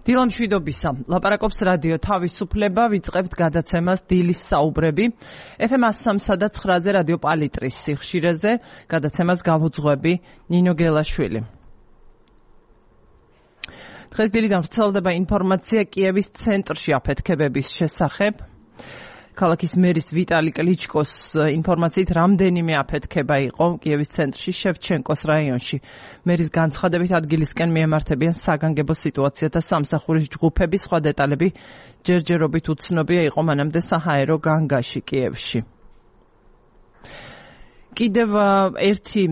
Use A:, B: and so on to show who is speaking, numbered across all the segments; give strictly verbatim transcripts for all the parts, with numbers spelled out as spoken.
A: დილა მშვიდობისა. ლაპარაკობს რადიო თავისუფლება, ვიწყებთ გადაცემას დილის საუბრები. ეფ ემ one oh three და nine-ზე რადიო პალიტრის სიხშირეზე გადაცემას გავუძღვები ნინო გელაშვილი. დღეს დილიდან ვრცელდება ინფორმაცია კიევის ცენტრში აფეთქებების შესახებ. ქალაქის მერის ვიტალი კლიჩკოს ინფორმაციით რამდენიმე აფეთქება იყო კიევის ცენტრში შევჩენკოს რაიონში. მერის განცხადებით ადგილისკენ მიემართებიან საგანგებო სიტუაცია და სამსახურის ჯგუფები, სხვა დეტალები ჯერჯერობით უცნობია, იყო მანამდე საჰაერო განგაში კიევში. კიდევ ერთი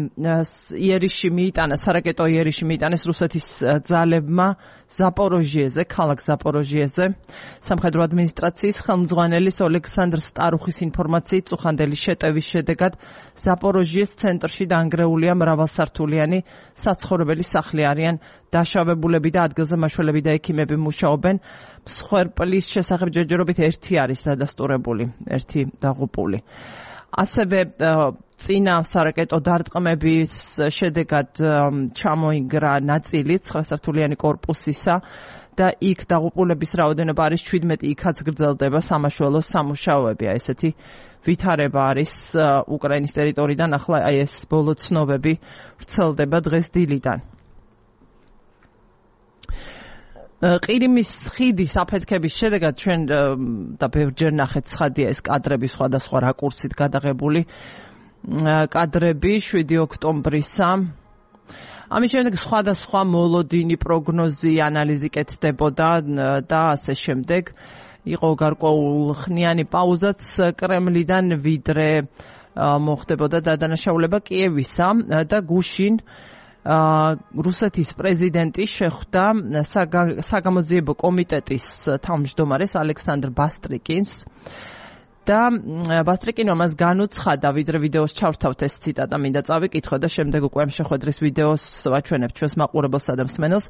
A: იერიში მიიტანა, სარაკეტო იერიში მიიტანეს რუსეთის ძალებმა ზაპოროჟიეზე, ქალაქ ზაპოროჟიეზე. სამხედრო ადმინისტრაციის ხელმძღვანელის ოლექსანდრ სტარუხის ინფორმაციით წუხანდელი შეტევის შედეგად ზაპოროჟიეს ცენტრში დანგრეულია მრავალსართულიანი საცხოვრებელი სახლი, არიან დაშავებულები და ადგილზე მაშველები და ექიმები მუშაობენ. მსხვერპლის შესახებ ჯერჯერობით ერთი არის დადასტურებული, ერთი დაღუპული. ასევე წინა სარაკეტო დარტყმების შედეგად ჩამოინგრა ნაწილი ცხრასართულიანი კორპუსისა და იქ დაღუპულების რაოდენობა არის შვიდმეტი, იქაც გრძელდება სამაშველო სამუშაოები. ესეთი ვითარება არის უკრაინის ტერიტორიიდან, ახლა აი ეს ბოლო ცნობები ვრცელდება დღეს დილიდან. ყირიმის ხიდის აფეთქების შედეგად ჩვენ და ბევრჯერ ნახეთ ცხადია ეს კადრები სხვადასხვა რაკურსით გადაღებული კადრები შვიდი ოქტომბრისა. ამის შემდეგ სხვადასხვა მოლოდინი, პროგნოზი, ანალიზი კეთდებოდა და ასე შემდეგ. იყო გარკვეულხნიანი პაუზაც კრემლიდან, ვიდრე მოხდებოდა დადანაშაულება კიევისა და გუშინ რუსეთის პრეზიდენტი შეხვდა საგამოძიებო კომიტეტის თავმჯდომარეს ალექსანდრ ბასტრიკინს და ბასტრიკინმა მას განუცხადა, ვიდრე ვიდეოს ჩავრთავთ ეს ციტატა, მინდა წავიკითხო და შემდეგ უკვე ამ შეხვედრის ვიდეოს ვაჩვენებთ ჩვენს მაყურებელსა და მსმენელს.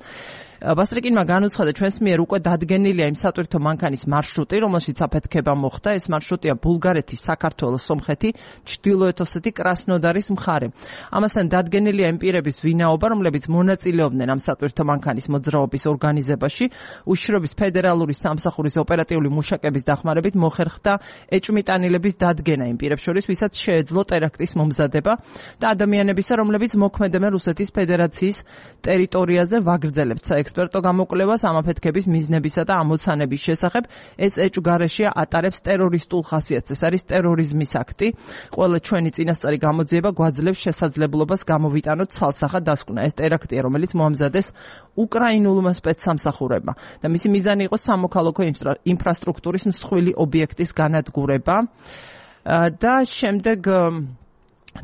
A: ბასტრიკინმა განუცხადა, ჩვენს მიერ უკვე დადგენილია იმ სატვირთო მანქანის მარშრუტი, რომელშიც აფეთქება მოხდა. ეს მარშრუტია ბულგარეთი, საქართველოს, სომხეთი, ჩრდილოეთ ოსეთი, კრასნოდარის მხარე. ამასთან დადგენილია იმ პირების ვინაობა, რომლებიც მონაწილეობდნენ ამ სატვირთო მანქანის მოძრაობის ორგანიზებაში. უშიშროების ფედერალური სამსახურის ოპერატიული მუშაკების დახმარებით მოხერხდა ეჭვმიტანილების დადგენა იმ პირებს შორის, ვისაც შეეძლო ტერაქტის მომზადება და ადამიანებისა, რომლებიც მოქმედებენ რუსეთის ფედერაციის ტერიტორიაზე, ვაგრძელებთ საექსპერტო გამოკვლევას ამ აფეთქების მიზნებისა და ამოცანების შესახებ. ეს ეჭვგარეშეა ატარებს ტერორისტულ ხასიათს. ეს არის ტერორიზმის აქტი. ყველა ჩვენი წინასწარი გამოძიება გვაძლევს შესაძლებლობას გამოვიტანოთ ცალსახად დასკვნა. ეს ტერაქტია, რომელიც მოამზადეს უკრაინულმა სპეცსამსახურებმა და მისი მიზანი იყო სამოქალაქო ინფრასტრუქტურის მსხვილი ობიექტის განადგურება. და შემდეგ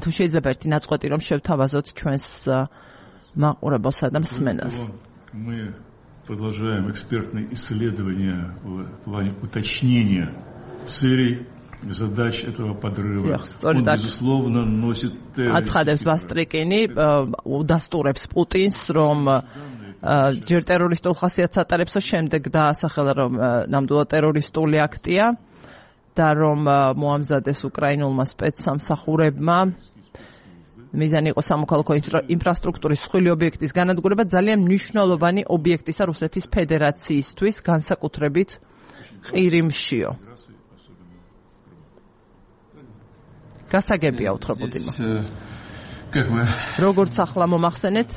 A: თუ შეიძლება ერთი ნაწყვეტი რომ შევთავაზოთ ჩვენს მაყურებელსა და მსმენელს.
B: Мы продолжаем экспертные исследования в плане уточнения целей, задач этого подрыва. Он, безусловно, носит...
A: აცხადებს ბასტრიკინი, უდასტურებს პუტინს, რომ ჯერ ტერორისტულ ხასიათს ატარებს, შემდეგ დაასახელა, რომ ნამდვილად ტერორისტული აქტია და რომ მოამზადეს უკრაინულმა სპეცსამსახურებმა. მიზანი იყო სამოქალაქო ინფრასტრუქტურის მსხვილი ობიექტის განადგურება, ძალიან მნიშვნელოვანი ობიექტისა რუსეთის ფედერაციისთვის, განსაკუთრებით ყირიმშიო. გასაგებია უთხრობოდიმა. როგორც ახლა მომახსენეთ,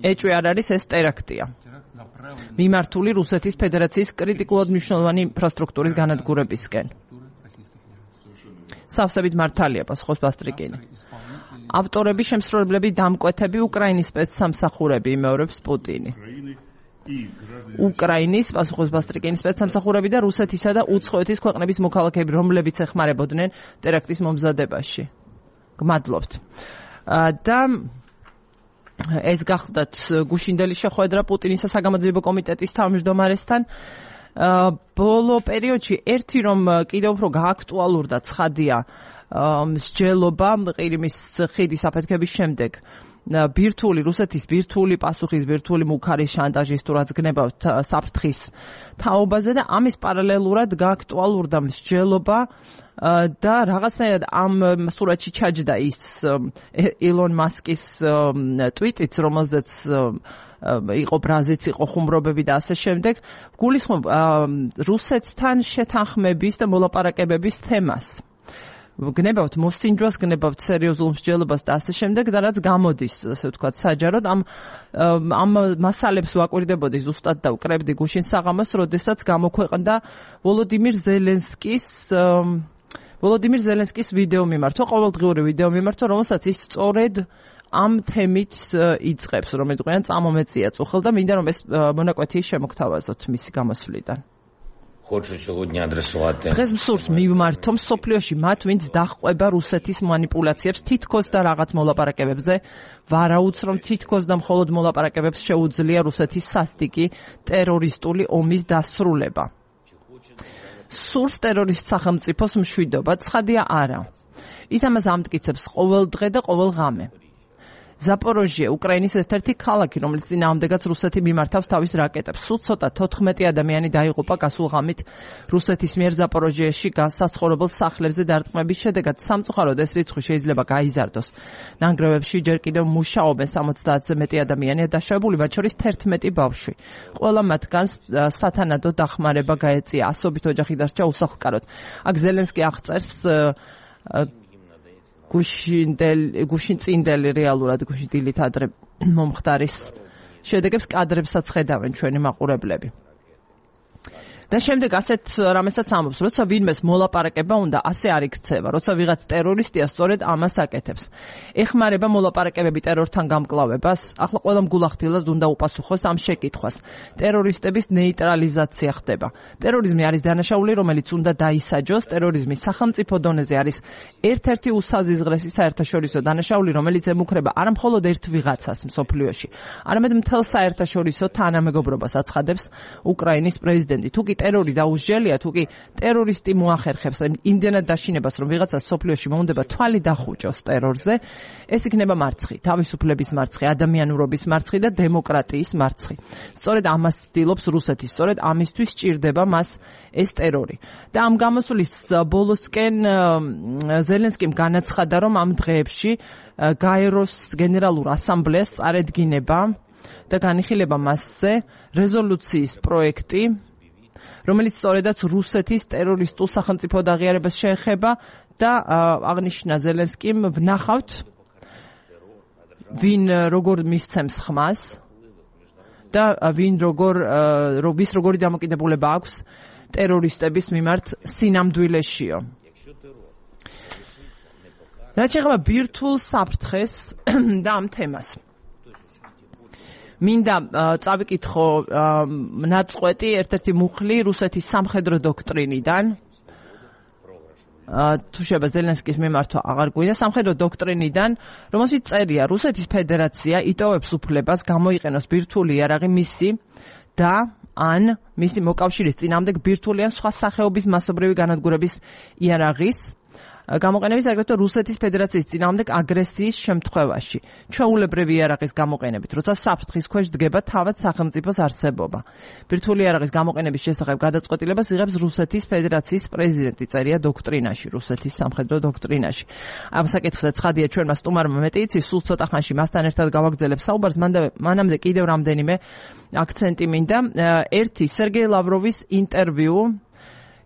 A: ეჭვი არ არის, ეს ტერაქტია. მიმართული რუსეთის ფედერაციის კრიტიკულად მნიშვნელოვანი ინფრასტრუქტურის განადგურებისკენ. სავსებით მართალია, პასუხობს ბასტრიკინი. ავტორები, შემსრულებლები, დამკვეთები, უკრაინის სპეცსამსახურები, იმეორებს პუტინი. უკრაინის, პასუხობს ბასტრიკინი, სპეცსამსახურები და რუსეთისა და უცხოეთის ქვეყნების მოქალაქეები, რომლებიც ეხმარებოდნენ ტერაქტის მომზადებაში. გმადლობთ. და ეს გახლდათ გუშინდელი შეხვედრა პუტინისა საგამოძიებო კომიტეტის თავმჯდომარესთან. ბოლო პერიოდში ერთი რომ კიდევ უფრო გააქტუალურდა ცხადია მსჯელობა ყირიმის ხიდის აფეთქების შემდეგ. ბირთვული რუსეთის ბირთვული პასუხის ბირთვული მუქარის შანტაჟის თუ რაც გნებავთ საფრთხის თაობაზე და ამის პარალელურად გააქტუალურდა მსჯელობა და რაღაცნაირად ამ სურათში ჩაჯდა ის ილონ მასკის ტვიტიც, რომელზეც იყო ბრაზიც, იყო ხუმრობები და ასე შემდეგ. გულისხმობ რუსეთთან შეთანხმების და მოლაპარაკებების თემას. გნებავთ მოსინჯვას, გნებავთ სერიოზულ მსჯელობას და ასე შემდეგ და რაც გამოდის, ასე ვთქვათ, საჯაროდ ამ ამ მასალებს ვაკვირდებოდი ზუსტად და ვკრებდი გუშინ საღამოს, როდესაც გამოქვეყნდა ვოლოდიმირ ზელენსკის ვოლოდიმირ ზელენსკის ვიდეო მიმართვა, ყოველდღიური ვიდეო მიმართვა, რომელსაც ის სწორედ ამ თემით იწყებს, რომელიც ყიან წამომეწია წუხელ და მინდა რომ ეს მონაკვეთი შემოგთავაზოთ მისი გამოსვლიდან. დღეს მსურს მივმართო მსოფლიოში მათ, ვინც დაჰყვება რუსეთის манипуляციებს თითქოს და რაღაც მოლაპარაკებებზე, ვარაუდს რომ თითქოს და მხოლოდ მოლაპარაკებებს შეუძლია რუსეთის სასტიკი ტერორისტული ომის დასრულება. სურს ტერორისტ სახელმწიფოს მშვიდობა, ცხადია არა. ის ამას ამტკიცებს ყოველ დღე და ყოველ ღამე. ზაპოროჟიე, უკრაინის ერთ-ერთი ქალაქი, რომელიც წინააღმდეგაც რუსეთი მიმართავს თავის რაკეტებს. სულ ცოტა თოთხმეტი ადამიანი დაიღუპა გასულ ღამით რუსეთის მიერ ზაპოროჟიეში საცხოვრებელ სახლებზე დარტყმების შედეგად. სამწუხაროდ ეს რიცხვი შეიძლება გაიზარდოს. ნანგრევებში ჯერ კიდევ მუშაობენ სამოცდაათზე მეტი ადამიანია დაშავებული, მათ შორის თერთმეტი ბავშვი. ყველა მათგანს სათანადო დახმარება გაეწია. ასობით ოჯახი დარჩა უსახლკაროდ. აქ ზელენსკი აღწერს გუშინწინდელი რეალურად გუშინდილით ადრე მომხდარის შედეგებს კადრებსაც ხედავენ ჩვენი მაყურებლები. და შემდეგ ასეთ რამესაც ამბობს, როცა ვინმეს მოლაპარაკება უნდა, ასე არ იქცევა, როცა ვიღაც ტერორისტია სწორედ ამას აკეთებს. ეხმარება მოლაპარაკებები ტერორთან გამკლავებას, ახლა ყველამ გულახდილად უნდა უპასუხოს ამ შეკითხვას. ტერორისტების ნეიტრალიზაცია ხდება. ტერორიზმი არის დანაშაული, რომელიც უნდა დაისაჯოს. ტერორიზმი სახელმწიფო დონეზე არის ერთ-ერთი უსაზიზღრესი საერთაშორისო დანაშაული, რომელიც ემუქრება არა მხოლოდ ერთ ვიღაცას მსოფლიოში, არამედ მთელ საერთაშორისო თანამეგობრობას აცხადებს უკრაინის პრეზიდენტი. თუ კი ტერორი დაუსჯელია, თუ კი ტერორისტი მოახერხებს იმდენად დაშინებას, რომ ვიღაცა სოფლიოში მოუნდება თვალი დახუჭოს ტერორზე, ეს იქნება მარცხი, თავისუფლების მარცხი, ადამიანურობის მარცხი და დემოკრატიის მარცხი. სწორედ ამას ცდილობს რუსეთი, სწორედ ამისთვის სჭირდება მას ეს ტერორი. და ამ გამოსვლის ბოლოსკენ ზელენსკიმ განაცხადა, რომ ამ დღეებში გაეროს გენერალურ ასამბლეას წარედგინება და განიხილება მასზე რეზოლუციის პროექტი, რომელიც სწორედაც რუსეთის ტერორისტულ სახელმწიფოდ აღიარებას შეეხება და აღნიშნა ზელენსკიმ, ვნახავთ ვინ როგორ მისცემს ხმას და ვინ როგორ ვის როგორი დამოკიდებულება აქვს ტერორისტების მიმართ სინამდვილეშიო. რაც შეეხება ბირთვულ საფრთხეს და ამ თემას. მინდა წავიკითხო ნაწყვეტი ერთ-ერთი მუხლი რუსეთის სამხედრო დოქტრინიდან. თუ შეიძლება ზელენსკის მიმართვა აღარ გვინდა, სამხედრო დოქტრინიდან, რომელშიც წერია, რუსეთის ფედერაცია იტოვებს უფლებას გამოიყენოს ბირთვული იარაღი მისი და ან მისი მოკავშირის წინააღმდეგ ბირთვული ან სხვა სახეობის მასობრივი განადგურების იარაღის გამოყენების, აგრეთვე რუსეთის ფედერაციის წინააღმდეგ აგრესიის შემთხვევაში, ჩვეულებრივი იარაღის გამოყენებით, როცა საფრთხის ქვეშ დგება თავად სახელმწიფოს არსებობა. ბირთვული იარაღის გამოყენების შესახებ გადაწყვეტილებას იღებს რუსეთის ფედერაციის პრეზიდენტი, წერია დოქტრინაში, რუსეთის სამხედრო დოქტრინაში. ამ საკითხზე ცხადია ჩვენმა სტუმარმა მეტი იცის, სულ ცოტა ხანში მასთან ერთად გავაგრძელებ საუბარს, მანამდე კიდევ რამდენიმე აქცენტი მინდა. ერთი, სერგეი ლავროვის ინტერვიუ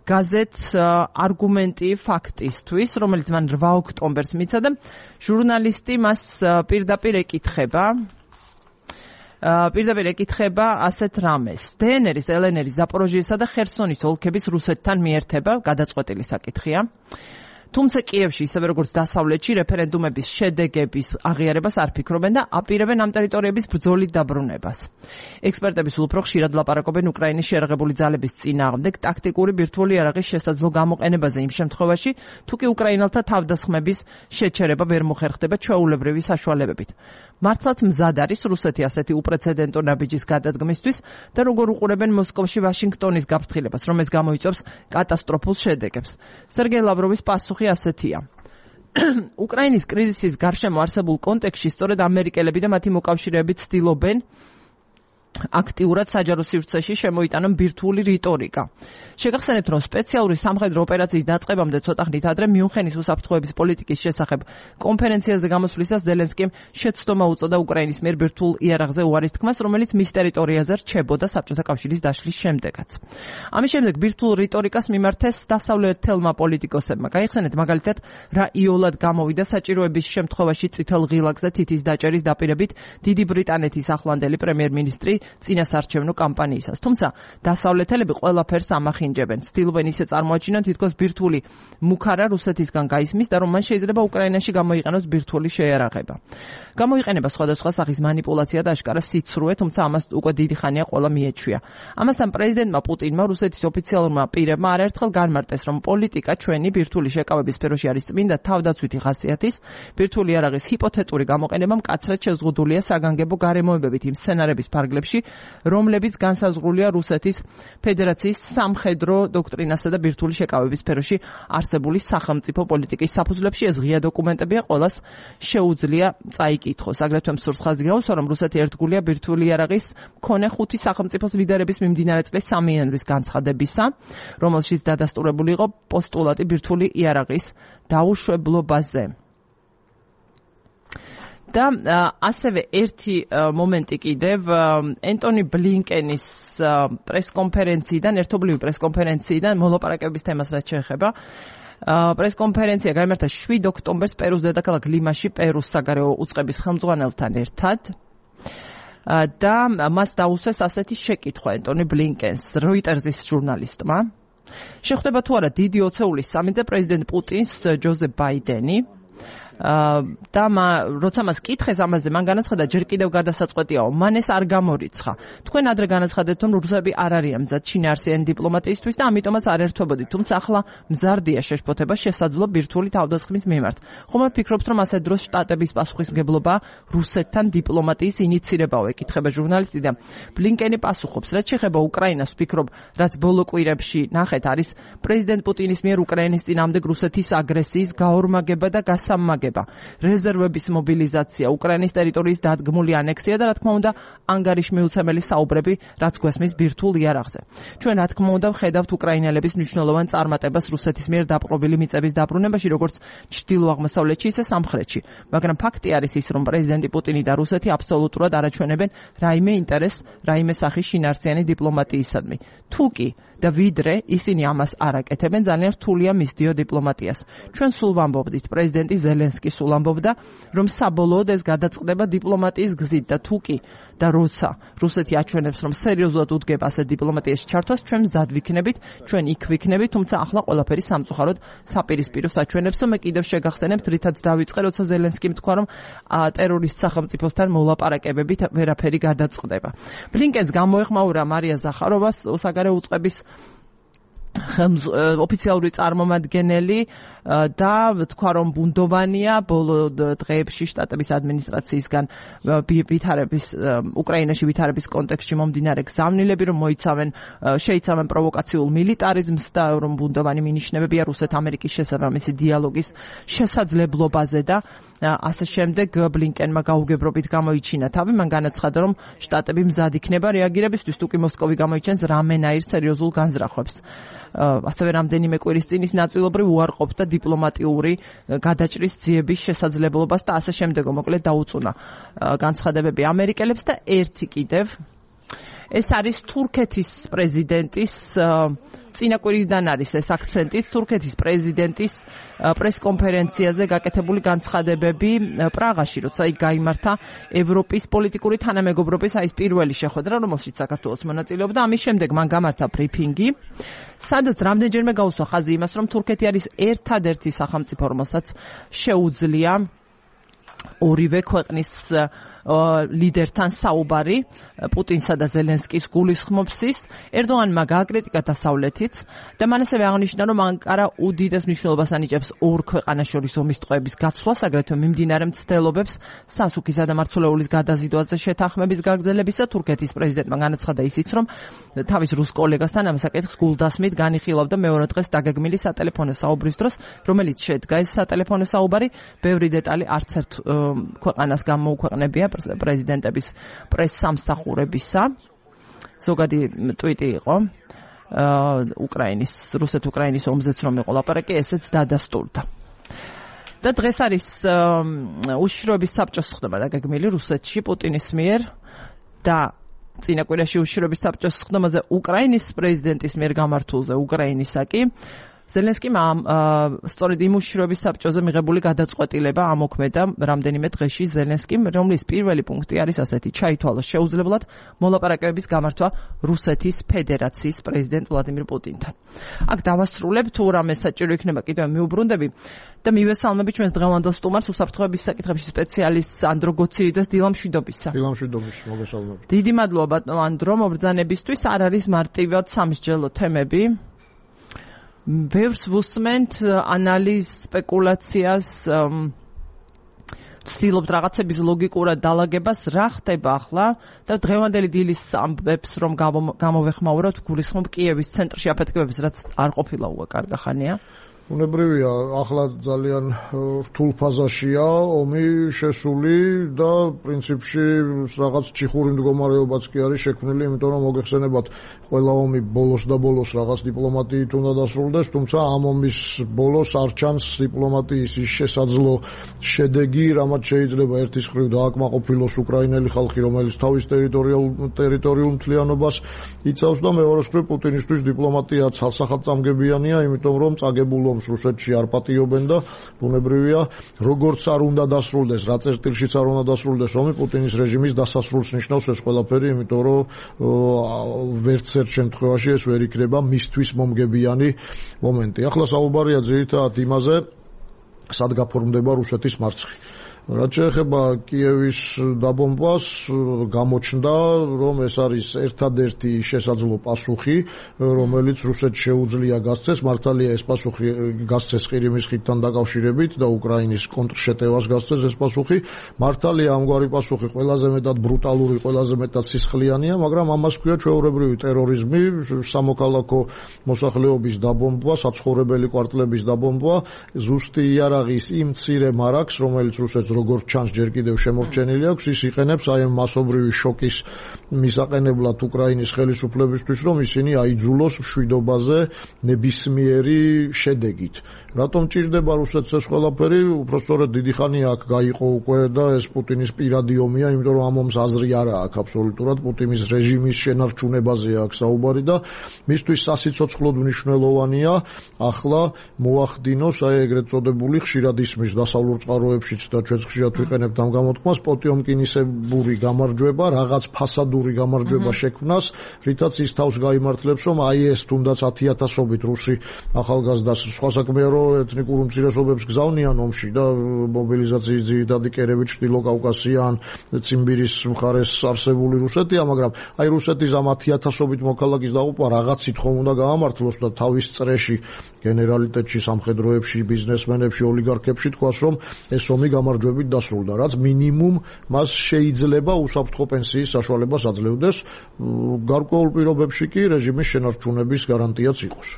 A: გაზეთს არგუმენტი ფაქტისთვის, რომელიც მან რვა ოქტომბერს მიცა და ჟურნალისტი მას პირდაპირ ეკითხება. პირდაპირ ეკითხება ასეთ რამეს. დე ენ ერის, ელ ენ ერის, ზაპოროჟიესა და ხერსონის ოლქების რუსეთთან მიერთება, გადაწყვეტილი საკითხია. თუმცა კიევში, ისევე როგორც დასავლეთში, რეფერენდუმების შედეგების აღიარებას არ ფიქრობენ და აპირებენ ამ ტერიტორიების ბრძოლით დაბრუნებას. ექსპერტები სულ უფრო ხშირად ლაპარაკობენ უკრაინის შეერაღებული ძალების წინააღმდეგ ტაქტიკური ბირთვული იარაღის შესაძლო გამოყენებაზე იმ შემთხვევაში, თუ კი უკრაინელთა თავდასხმების შეჩერება ვერ მოხერხდება ჩვეულებრივი საშუალებებით. მართლაც მზად არის რუსეთი ასეთი უპრეცედენტო ნაბიჯის გადადგმისთვის და როგორ უყურებენ მოსკოვში ვაშინგტონის გაფრთხილებას, რომ ეს გამოიწვევს კატასტროფულ შედეგებს. სერგეი ლავროვის პასუხი ასეთია. უკრაინის კრიზისის გარშემო არსებულ კონტექსტში სწორედ ამერიკელები და მათი მოკავშირეები ცდილობენ აქტიურად საჯარო სივრცეში შემოიტანა ბირთვული რიტორიკა. შეგახსენებთ, რომ სპეციალური სამხედრო ოპერაციის დაწყებამდე ცოტა ხნით ადრე მიუნხენის უსაფრთხოების პოლიტიკის შესახებ კონფერენციაზე გამოსვლისას ზელენსკიმ შეცდომა უწოდა უკრაინის მიერ ბირთვულ იარაღზე უარის თქმას, რომელიც მის ტერიტორიაზე რჩებოდა საბჭოთა კავშირის დაშლის შემდეგაც. ამის შემდეგ ბირთვულ რიტორიკას მიმართეს დასავლეთელმა პოლიტიკოსებმა. გაიხსენეთ მაგალითად, რა იოლად გამოვიდა საჭიროების შემთხვევაში წითელ ღილაკზე თითის დაჭერის დაპირებით დიდი ბრიტანეთის ახლანდელი პრემიერ-მინისტრი წინასარჩევნო კამპანიისას. თუმცა დასავლეთელები ყველაფერს ამახინჯებენ. ცდილობენ ისე წარმოაჩინონ, თითქოს ბირთვული მუქარა რუსეთისგან გაისმის და რომ მან შეიძლება უკრაინაში გამოიყენოს ბირთვული შეიარაღება. გამოიყენება სხვადასხვა სახის მანიპულაცია და აშკარა სიცრუე, თუმცა ამას უკვე დიდი ხანია ყველა მიეჩვია. ამასთან პრეზიდენტმა პუტინმა რუსეთის ოფიციალურმა პირებმა არაერთხელ განმარტეს, რომ პოლიტიკა ჩვენი ბირთვული შეკავების სფეროში არის წმინდა თავდაცვითი ხასიათის, ბირთვული იარაღის ჰიპოთეტური გამოყენება მკაცრად შეზღუდულია საგანგებო გარემოებებით იმ სცენარების ფარგლებში, რომლებიც განსაზღვრულია რუსეთის ფედერაციის სამხედრო დოქტრინასა და ბირთვული შეკავების სფეროში არსებული სახელმწიფო პოლიტიკის საფუძვლებში. ეს ღია დოკუმენტებია, ყველას შეუძლია წაიკითხოს. აგრეთვე მსურს ხაზი გაუსვა, რომ რუსეთი ერთგულია ბირთვული იარაღის მქონე ხუთი სახელმწიფოს ლიდერების მიმდინარე წლის სამი იანვრის განცხადებისა, რომელშიც დადასტურებული იყო პოსტულატი ბირთვული იარაღის დაუშვებლობაზე. და ასევე ერთი მომენტი კიდევ ენტონი ბლინკენის პრესკონფერენციიდან, ერთობლივი პრესკონფერენციიდან მოლაპარაკების თემას რაც შეეხება. პრესკონფერენცია გაიმართა შვიდ ოქტომბერს პერუს დედაქალაქ ლიმაში პერუს საგარეო უწყების ხელმძღვანელთან ერთად. და მას დაუსვეს ასეთი შეკითხვა ენტონი ბლინკენს როიტერზის ჟურნალისტმა. შეხვდება თუ არა დიდი ოცეულის სამინზე პრეზიდენტ პუტინს ჯოზეფ ბაიდენი. და როცა მას კითხეს ამაზე, მან განაცხადა, ჯერ კიდევ გადასაწყვეტიაო, მან ეს არ გამორიცხა. თქვენ ადრე განაცხადეთ, რომ რუსები არ არიან მზად შინაარსიანი დიპლომატიისთვის და ამიტომაც არ ერთვებოდით, თუმცა ახლა მზარდია შეშფოთება შესაძლო ბირთვული თავდასხმის მიმართ. ხომ არ ფიქრობთ, რომ ასეთ დროს შტატების პასუხისმგებლობა რუსეთთან დიპლომატიის ინიცირებაო, ეკითხება ჟურნალისტი და ბლინკენი პასუხობს, რაც შეეხება უკრაინას, ვფიქრობ, რაც ბოლო კვირებში ნახეთ, არის პრეზიდენტ პუტინის მიერ უკრაინის წინააღმდეგ რუსეთის აგრესიის გაორმაგება და გასამაგება. რეზერვების მობილიზაცია, უკრაინის ტერიტორიის დადგმული ანექსია და რა თქმა უნდა ანგარიშმიუცემელი საუბრები, რაც გვესმის ბირთვულ იარაღზე. ჩვენ რა თქმა უნდა ვხედავთ უკრაინელების მნიშვნელოვან წარმატებას რუსეთის მიერ დაპყრობილი მიწების დაბრუნებაში, როგორც ჩრდილო-აღმოსავლეთში, ისე სამხრეთში. მაგრამ ფაქტი არის ის, რომ პრეზიდენტი პუტინი და რუსეთი აბსოლუტურად არაჩვენებენ რაიმე ინტერესს, რაიმე სახის შინაარსიანი დიპლომატიისადმი. თუ კი და ვიდრე ისინი ამას არ აკეთებენ, ძალიან რთულია მისდიო დიპლომატიას. ჩვენ სულ ვამბობდით, პრეზიდენტი ზელენსკი სულ ამბობდა, რომ საბოლოოდ ეს გადაწყდება დიპლომატიის გზით და თუ კი და როცა რუსეთი აჩვენებს, რომ სერიოზულად უდგება ასეთ დიპლომატიაში ჩართვას, ჩვენ მზად ვიქნებით, ჩვენ იქ ვიქნებით, თუმცა ახლა ყველაფერი სამწუხაროდ საპირისპიროს აჩვენებს, რომ მე კიდევ შეგახსენებთ, რითაც დავიწყე, როცა ზელენსკიმ თქვა, რომ ტერორისტ სახელმწიფოსთან მოლაპარაკებებით ვერაფერი გადაწყდება. ბლინკენს გამოეხმაურა მარია ზახაროვას საგარეო უწყების ოფიციალური წარმომადგენელი და თქვა, რომ ბუნდოვანია ბოლო დღეებში შტატების ადმინისტრაციისგან ვითარების უკრაინაში ვითარების კონტექსტში მომდინარე გზავნილები, რომ მოიცავენ შეიცავენ პროვოკაციულ მილიტარიზმს და რომ ბუნდოვანი მინიშნებებია რუსეთ-ამერიკის შესაბამისი დიალოგის შესაძლებლობაზე და ასე შემდეგ ბლინკენმა გაუგებრობით გამოიჩინა თავი. მან განაცხადა, რომ შტატები მზად იქნება რეაგირებისთვის, თუ კი მოსკოვი გამოიჩენს რამენაირ სერიოზულ განზრახვებს. ასევე რამდენიმე კვირის წინ ის ნაწილობრივ უარყოფდა დიპლომატიური გადაჭრის ძიების შესაძლებლობას და ასე შემდეგო, მოკლედ დაუწუნა განცხადებები ამერიკელებს და ერთი კიდევ ეს არის თურქეთის პრეზიდენტის წინა კვირიდან არის ეს აქცენტი თურქეთის პრეზიდენტის პრესკონფერენციაზე გაკეთებული განცხადებები პრაღაში, როცა იქ გაიმართა ევროპის პოლიტიკური თანამეგობრობის აი ეს პირველი შეხვედრა, რომელშიც საქართველოს მონაწილეობდა. ამის შემდეგ მან გამართა ბრიფინგი, სადაც რამდენჯერმე გაუსვა ხაზი იმას, რომ თურქეთი არის ერთადერთი სახელმწიფო, რომელსაც შეუძლია ორივე ქვეყნის ლიდერთან საუბარი პუტინსა და ზელენსკის გულისხმობსის. ერდოღანმა გააკრიტიკა დასავლეთიც და მან ასევე აღნიშნა, რომ ანკარა უდიდეს მნიშვნელობას ანიჭებს ორ ქვეყანას შორის ომის ტყვეების გაცვლას, აგრეთვე მიმდინარე მცდელობებს სასუქისა და მარცვლეულის გადაზიდვაზე შეთანხმების გაგრძელებისა. თურქეთის პრეზიდენტმა განაცხადა ისიც, რომ თავის რუს კოლეგასთან ამ საკითხს გულდასმით განიხილავდა მეორე დღეს დაგეგმილი სატელეფონო საუბრის დროს, რომელიც შედგა ეს სატელეფონო საუბარი, ბევრი დეტალი არც ერთ ქვეყანას გამოუქვეყნებია პრეზიდენტების პრესსამსახურებისა. ზოგადი ტვიტი იყო უკრაინის, რუსეთ-უკრაინის ომზეც რომ იყო ლაპარაკი, ესეც დადასტურდა. და დღეს არის უშიშროების საბჭოს ხდება დაგეგმილი რუსეთში პუტინის მიერ და წინა კვირაში უშიშროების საბჭოს ხდომაზე უკრაინის პრეზიდენტის მიერ გამართულზე უკრაინისაკი ზელენსკიმ სწორედ იმ უშიშროების საბჭოზე მიღებული გადაწყვეტილება ამოქმედა რამდენიმე დღეში ზელენსკიმ, რომლის პირველი პუნქტი არის ასეთი: ჩაითვალოს შეუძლებლად მოლაპარაკებების გამართვა რუსეთის ფედერაციის პრეზიდენტ ვლადიმირ პუტინთან. აქ დავასრულებ, თუ რამე საჭირო იქნება კიდევ მიუბრუნდები და მივესალმები ჩვენს დღევანდელ სტუმარს უსაფრთხოების საკითხებში სპეციალისტს ანდრო გოცირიძეს დილა მშვიდობისა.
C: დილა მშვიდობის, მოგესალმებით.
A: დიდი მადლობა ბატონო ანდრო, მობრძანებისთვის. არ არის მარტივად სამსჯელო თემები. ბევრს ვუსმენთ ანალიზ, სპეკულაციას, ვცდილობთ რაღაცების ლოგიკურად დალაგებას, რა ხდება ახლა და დღევანდელი დილის ამბებს რომ გამოვეხმაუროთ, გულისხმობ კიევის ცენტრში აფეთქებებს, რაც არ ყოფილა უკვე კარგი ხანია.
C: უნებრივია, ახლა ძალიან რთულ ფაზაშია ომი შესული და პრინციპში რაღაც ჩიხური მდგომარეობაც კი არის შექმნილი, იმიტომ რომ მოგეხსენებათ, ყველა ომი ბოლოს და ბოლოს რაღაც დიპლომატიით უნდა დასრულდეს, თუმცა ამ ომის ბოლოს არ ჩანს დიპლომატიის ის შესაძლო შედეგი, რამაც შეიძლება ერთის მხრივ დააკმაყოფილოს უკრაინელი ხალხი, რომელიც თავის ტერიტორიულ ტერიტორიულ მთლიანობას იცავს და მეორეს მხრივ პუტინისთვის დიპლომატია ცალსახადწამგებიანია, იმიტომ რომ წაგებულ რუსეთში არ პატიობენ და ბუნებრივია, როგორც არ უნდა დასრულდეს, რა წერტილშიც არ უნდა დასრულდეს ომი, პუტინის რეჟიმის დასასრულს ნიშნავს ეს ყველაფერი, იმიტომ რომ ვერც ერთ შემთხვევაში ეს ვერ იქნება მისთვის მომგებიანი მომენტი. ახლა საუბარია ძირითადად იმაზე, სად გაფორმდება რუსეთის მარცხი. რაც შეეხება კიევის დაბომბვას, გამოჩნდა, რომ ეს არის ერთადერთი შესაძლო პასუხი, რომელიც რუსეთს შეუძლია გასცეს. მართალია ეს პასუხი გასცეს ყირიმის ხიდთან დაკავშირებით და უკრაინის კონტრშეტევას გასცეს ეს პასუხი. მართალია ამგვარი პასუხი ყველაზე მეტად ბრუტალური, ყველაზე მეტად სისხლიანია, მაგრამ ამას ქვია ჩვეულებრივი ტერორიზმი, სამოქალაქო მოსახლეობის დაბომბვა, საცხოვრებელი კვარტლების დაბომბვა, ზუსტი იარაღის იმ მცირე მარაგს, რომელიც რუსეთს როგორც ჩანს ჯერ კიდევ შემორჩენილი აქვს, ის იყენებს აი ამ მასობრივი შოკის მისაყენებლად უკრაინის ხელისუფლებისთვის, რომ ისინი აიძულოს მშვიდობაზე ნებისმიერი შედეგით. რატომ ჭირდება რუსეთს ეს ყველაფერი? უпростоრად დიდი ხანია აქ გაიყო უკვე და ეს პუტინის პირადი ომია, იმიტომ რომ ამ ომს აზრი არა აქვს აბსოლუტურად, პუტინის რეჟიმის შენარჩუნებაზე აქვს საუბარი და მისთვის სასიცოცხლოდ მნიშვნელოვანია ახლა მოახდინოს აი ეგრეთ წოდებული ხშირად ისმის დასავლურ წყაროებშიც და ჩვენც ხშირად ვიყენებთ ამ გამოთქმას, პოტიომკინისებური გამარჯვება, რაღაც ფასადური გამარჯვება შექმნას, რითაც ის თავს გაიმართლებს, რომ აი ეს თუნდაც ათიათასობით რუსი ახალგაზრდას სხვა საქმეა, რომ ეთნიკურ უმცირესობებს გზავნიან ომში და მობილიზაციის ძირითადი კერები ჩრდილო კავკასიან, ციმბირის მხარეს არსებული რუსეთია, მაგრამ აი რუსეთის ამ ათიათასობით მოქალაქის დაღუპვა რაღაცით ხომ უნდა გაამართლოს და თავის წრეში გენერალიტეტში, სამხედროებში, ბიზნესმენებში, ოლიგარქებში თქვას, რომ ეს ომი გამარჯვებით დასრულდა, რაც მინიმუმ მას შეიძლება უსაფრთხო პენსიის საშუალებას აძლევდეს, გარკვეულ პირობებში კი რეჟიმის შენარჩუნების გარანტიაც იყოს.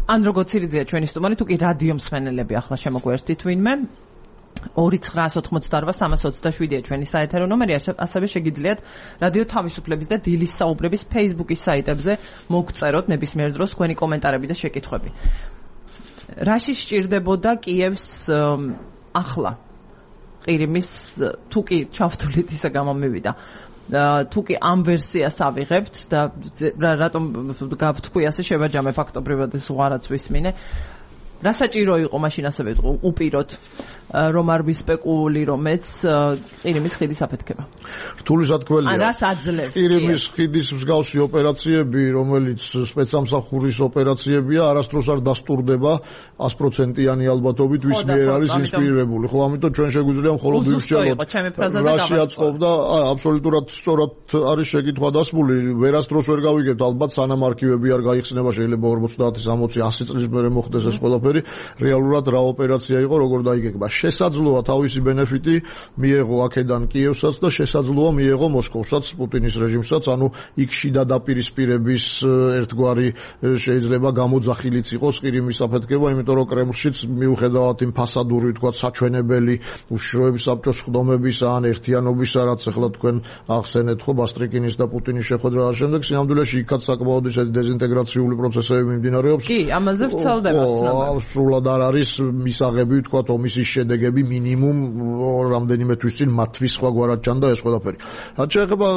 A: ანდრო გოცირიძეა ჩვენი სტუმარი, თუ კი რადიო მსმენელები ახლა შემოგვერთით ვინმე ორი ცხრა ოთხმოცდაარბა სამას ოცდაშვიდია ჩვენი საეთერო ნომერი, ასევე შეგიძლიათ რადიო თავისუფლების და დილის საუბრების Facebook-ის საიტებზე მოგწეროთ ნებისმიერ დროს თქვენი კომენტარები და შეკითხვები. რაში სჭირდებოდა კიევს ახლა ყირიმის თუ კი ჩავთვლით ისა გამომივიდა თუ კი ამ ვერსიას ავიღებთ და რატომ გავთქვი ასე შევაჯამე ფაქტობრივად ეს უღარაც ვისმინე, რა საჭირო იყო მაშინ ასევე უპიროთ რომ არ ვისპეკულირომეც ყირიმის ხიდის აფეთქება?
C: რთული სათქმელია.
A: ან რას აძლევს
C: ყირიმის ხიდის მსგავსი ოპერაციები, რომელიც სპეცსამსახურის ოპერაციებია, არასდროს არ დასტურდება sto პროცენტიანი ალბათობით ვის მიერ არის ინსპირირებული. ხო, ამიტომ ჩვენ შეგვიძლია მხოლოდ ვიმსჯელოთ. რაში აწყობდა, აა აბსოლუტურად სწორად არის შეკითხვა დასმული, ვერასდროს ვერ გავიგებთ ალბათ, სანამ არქივები არ გაიხსნება, შეიძლება ორმოცდაათი, სამოცი, ასი წლის მერე მოხდეს ეს ყველაფერი. რეალურად რა ოპერაცია იყო, როგორ დაიგეგმა. შესაძლოა თავისი ბენეფიტი მიეღო აქედან კიევსაც და შესაძლოა მიეღო მოსკოვსაც, პუტინის რეჟიმსაც, ანუ იქ შიდა დაპირისპირების ერთგვარი შეიძლება გამოძახილიც იყოს ყირიმის საფეთქება, იმიტომ რომ კრემლშიც მიუხედავად იმ ფასადური თქვა საჩვენებელი უშიშროების საბჭოს ხდომების ან ერთიანობისა, რაც ახლა თქვენ ახსენეთ ხო ბასტრიკინის და პუტინის შეხვედრა და შემდეგ სინამდვილეში იქაც საკმაოდ ისეთი დეზინტეგრაციული პროცესები მიმდინარეობს.
A: კი, ამაზე ვრცელდება ცნობა.
C: სრულად არ არის მისაღები თქვა ომის შედეგები მინიმუმ რამდენიმე თვის წინ მათთვის სხვაგვარად ჩანდა ეს ყველაფერი. რაც შეეხება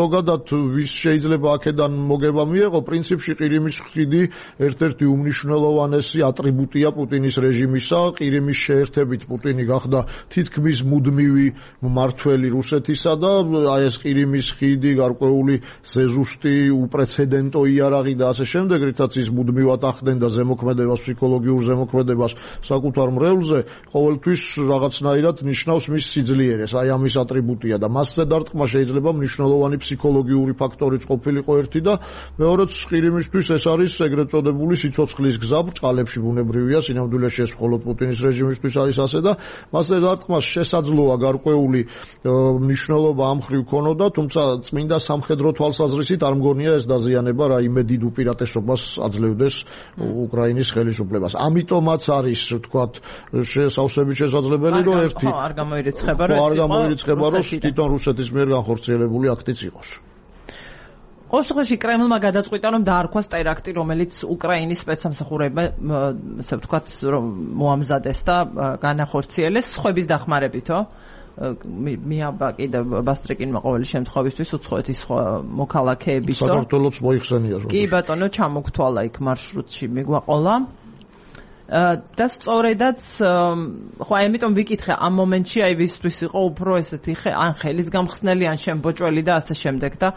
C: ზოგადად ვის შეიძლება აქედან მოგება მიეღო, პრინციპში ყირიმის ხიდი ერთ-ერთი უმნიშვნელოვანესი ატრიბუტია პუტინის რეჟიმისა. ყირიმის შეერთებით პუტინი გახდა თითქმის მუდმივი მმართველი რუსეთისა და აი ეს ყირიმის ხიდი, გარკვეული ზეზუსტი, უპრეცედენტო იარაღი და ასე შემდეგ, რითაც ის მუდმივად ახდენდა ზემოქმედებას, ფსიქოლოგიურ ზემოქმედებას საკუთარ მრევლზე, ყოველთვის რაღაცნაირად ნიშნავს მის სიძლიერეს. აი ამის ატრიბუტია და მასზე დარტყმა შეიძლება მნიშვნელოვანი ფსიქოლოგიური ფაქტორიც ყოფილიყო ერთი და მეორეც ყირიმისთვის ეს არის ეგრეთ წოდებული სიცოცხლის გზა, ბრჭყალებში ბუნებრივია, სინამდვილეში ეს მხოლოდ პუტინის რეჟიმისთვის არის ასე და მასზე დარტყმას შესაძლოა გარკვეული მნიშვნელობა ამ მხრივ ქონოდა, თუმცა წმინდა სამხედრო თვალსაზრისით არ მგონია ეს დაზიანება რაიმე დიდ უპირატესობას აძლევდეს უკრაინის ხელისუფლებას. ამიტომაც არის თქვათ შესავსებით შესაძლებელი რომ ერთი
A: არ გამოირიცხება რომ
C: არ გამოირიცხება რომ თვითონ რუსეთის მიერ განხორციელებული აქტიც იყოს.
A: ყოველშაბათში კრემლმა გადაწყვიტა რომ დაარქვას ტერაქტი, რომელიც უკრაინის სპეცსამსახურებმა ასე ვთქვათ რომ მოამზადეს და განახორციელეს სხვების დახმარებითო. მიაბა კიდევ ბასტრიკინმა ყოველი შემთხვევისთვის უცხოეთის მოქალაქეებისო.
C: საქართველოს მოიხსენია ზოგადად.
A: კი ბატონო, ჩამოგთვალა იქ მარშრუტში მიგვაყოლა. და სწორედაც ხო აი ამიტომ ვიკითხე ამ მომენტში აი ვისთვის იყო უფრო ესეთი ან ხელის გამხსნელი ან შემბოჭველი და ასე შემდეგ და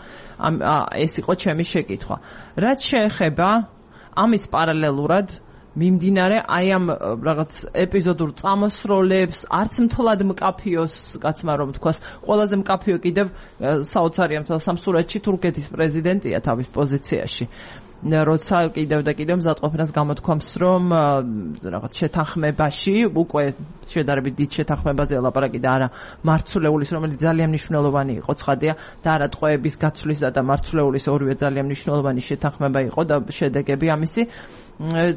A: ეს იყო ჩემი შეკითხვა. რაც შეეხება ამის პარალელურად მიმდინარე აი ამ რაღაც ეპიზოდურ წამოსროლებს, არც მთლად მკაფიოს კაცმა რომ თქვას, ყველაზე მკაფიო კიდევ საოცარია მთელ სამსურეთში თურქეთის პრეზიდენტია თავის პოზიციაში. როცა კიდევ და კიდევ მზადყოფნას გამოთქვამს რომ რაღაც შეთანხმებაში უკვე შედარებით დიდ შეთანხმებაზე ლაპარაკი და არა მარცვლეულის, რომელიც ძალიან მნიშვნელოვანი იყო ცხადია და არა ტყვეების გაცვლისა და მარცვლეულის ორივე ძალიან მნიშვნელოვანი შეთანხმება იყო და შედეგები ამისი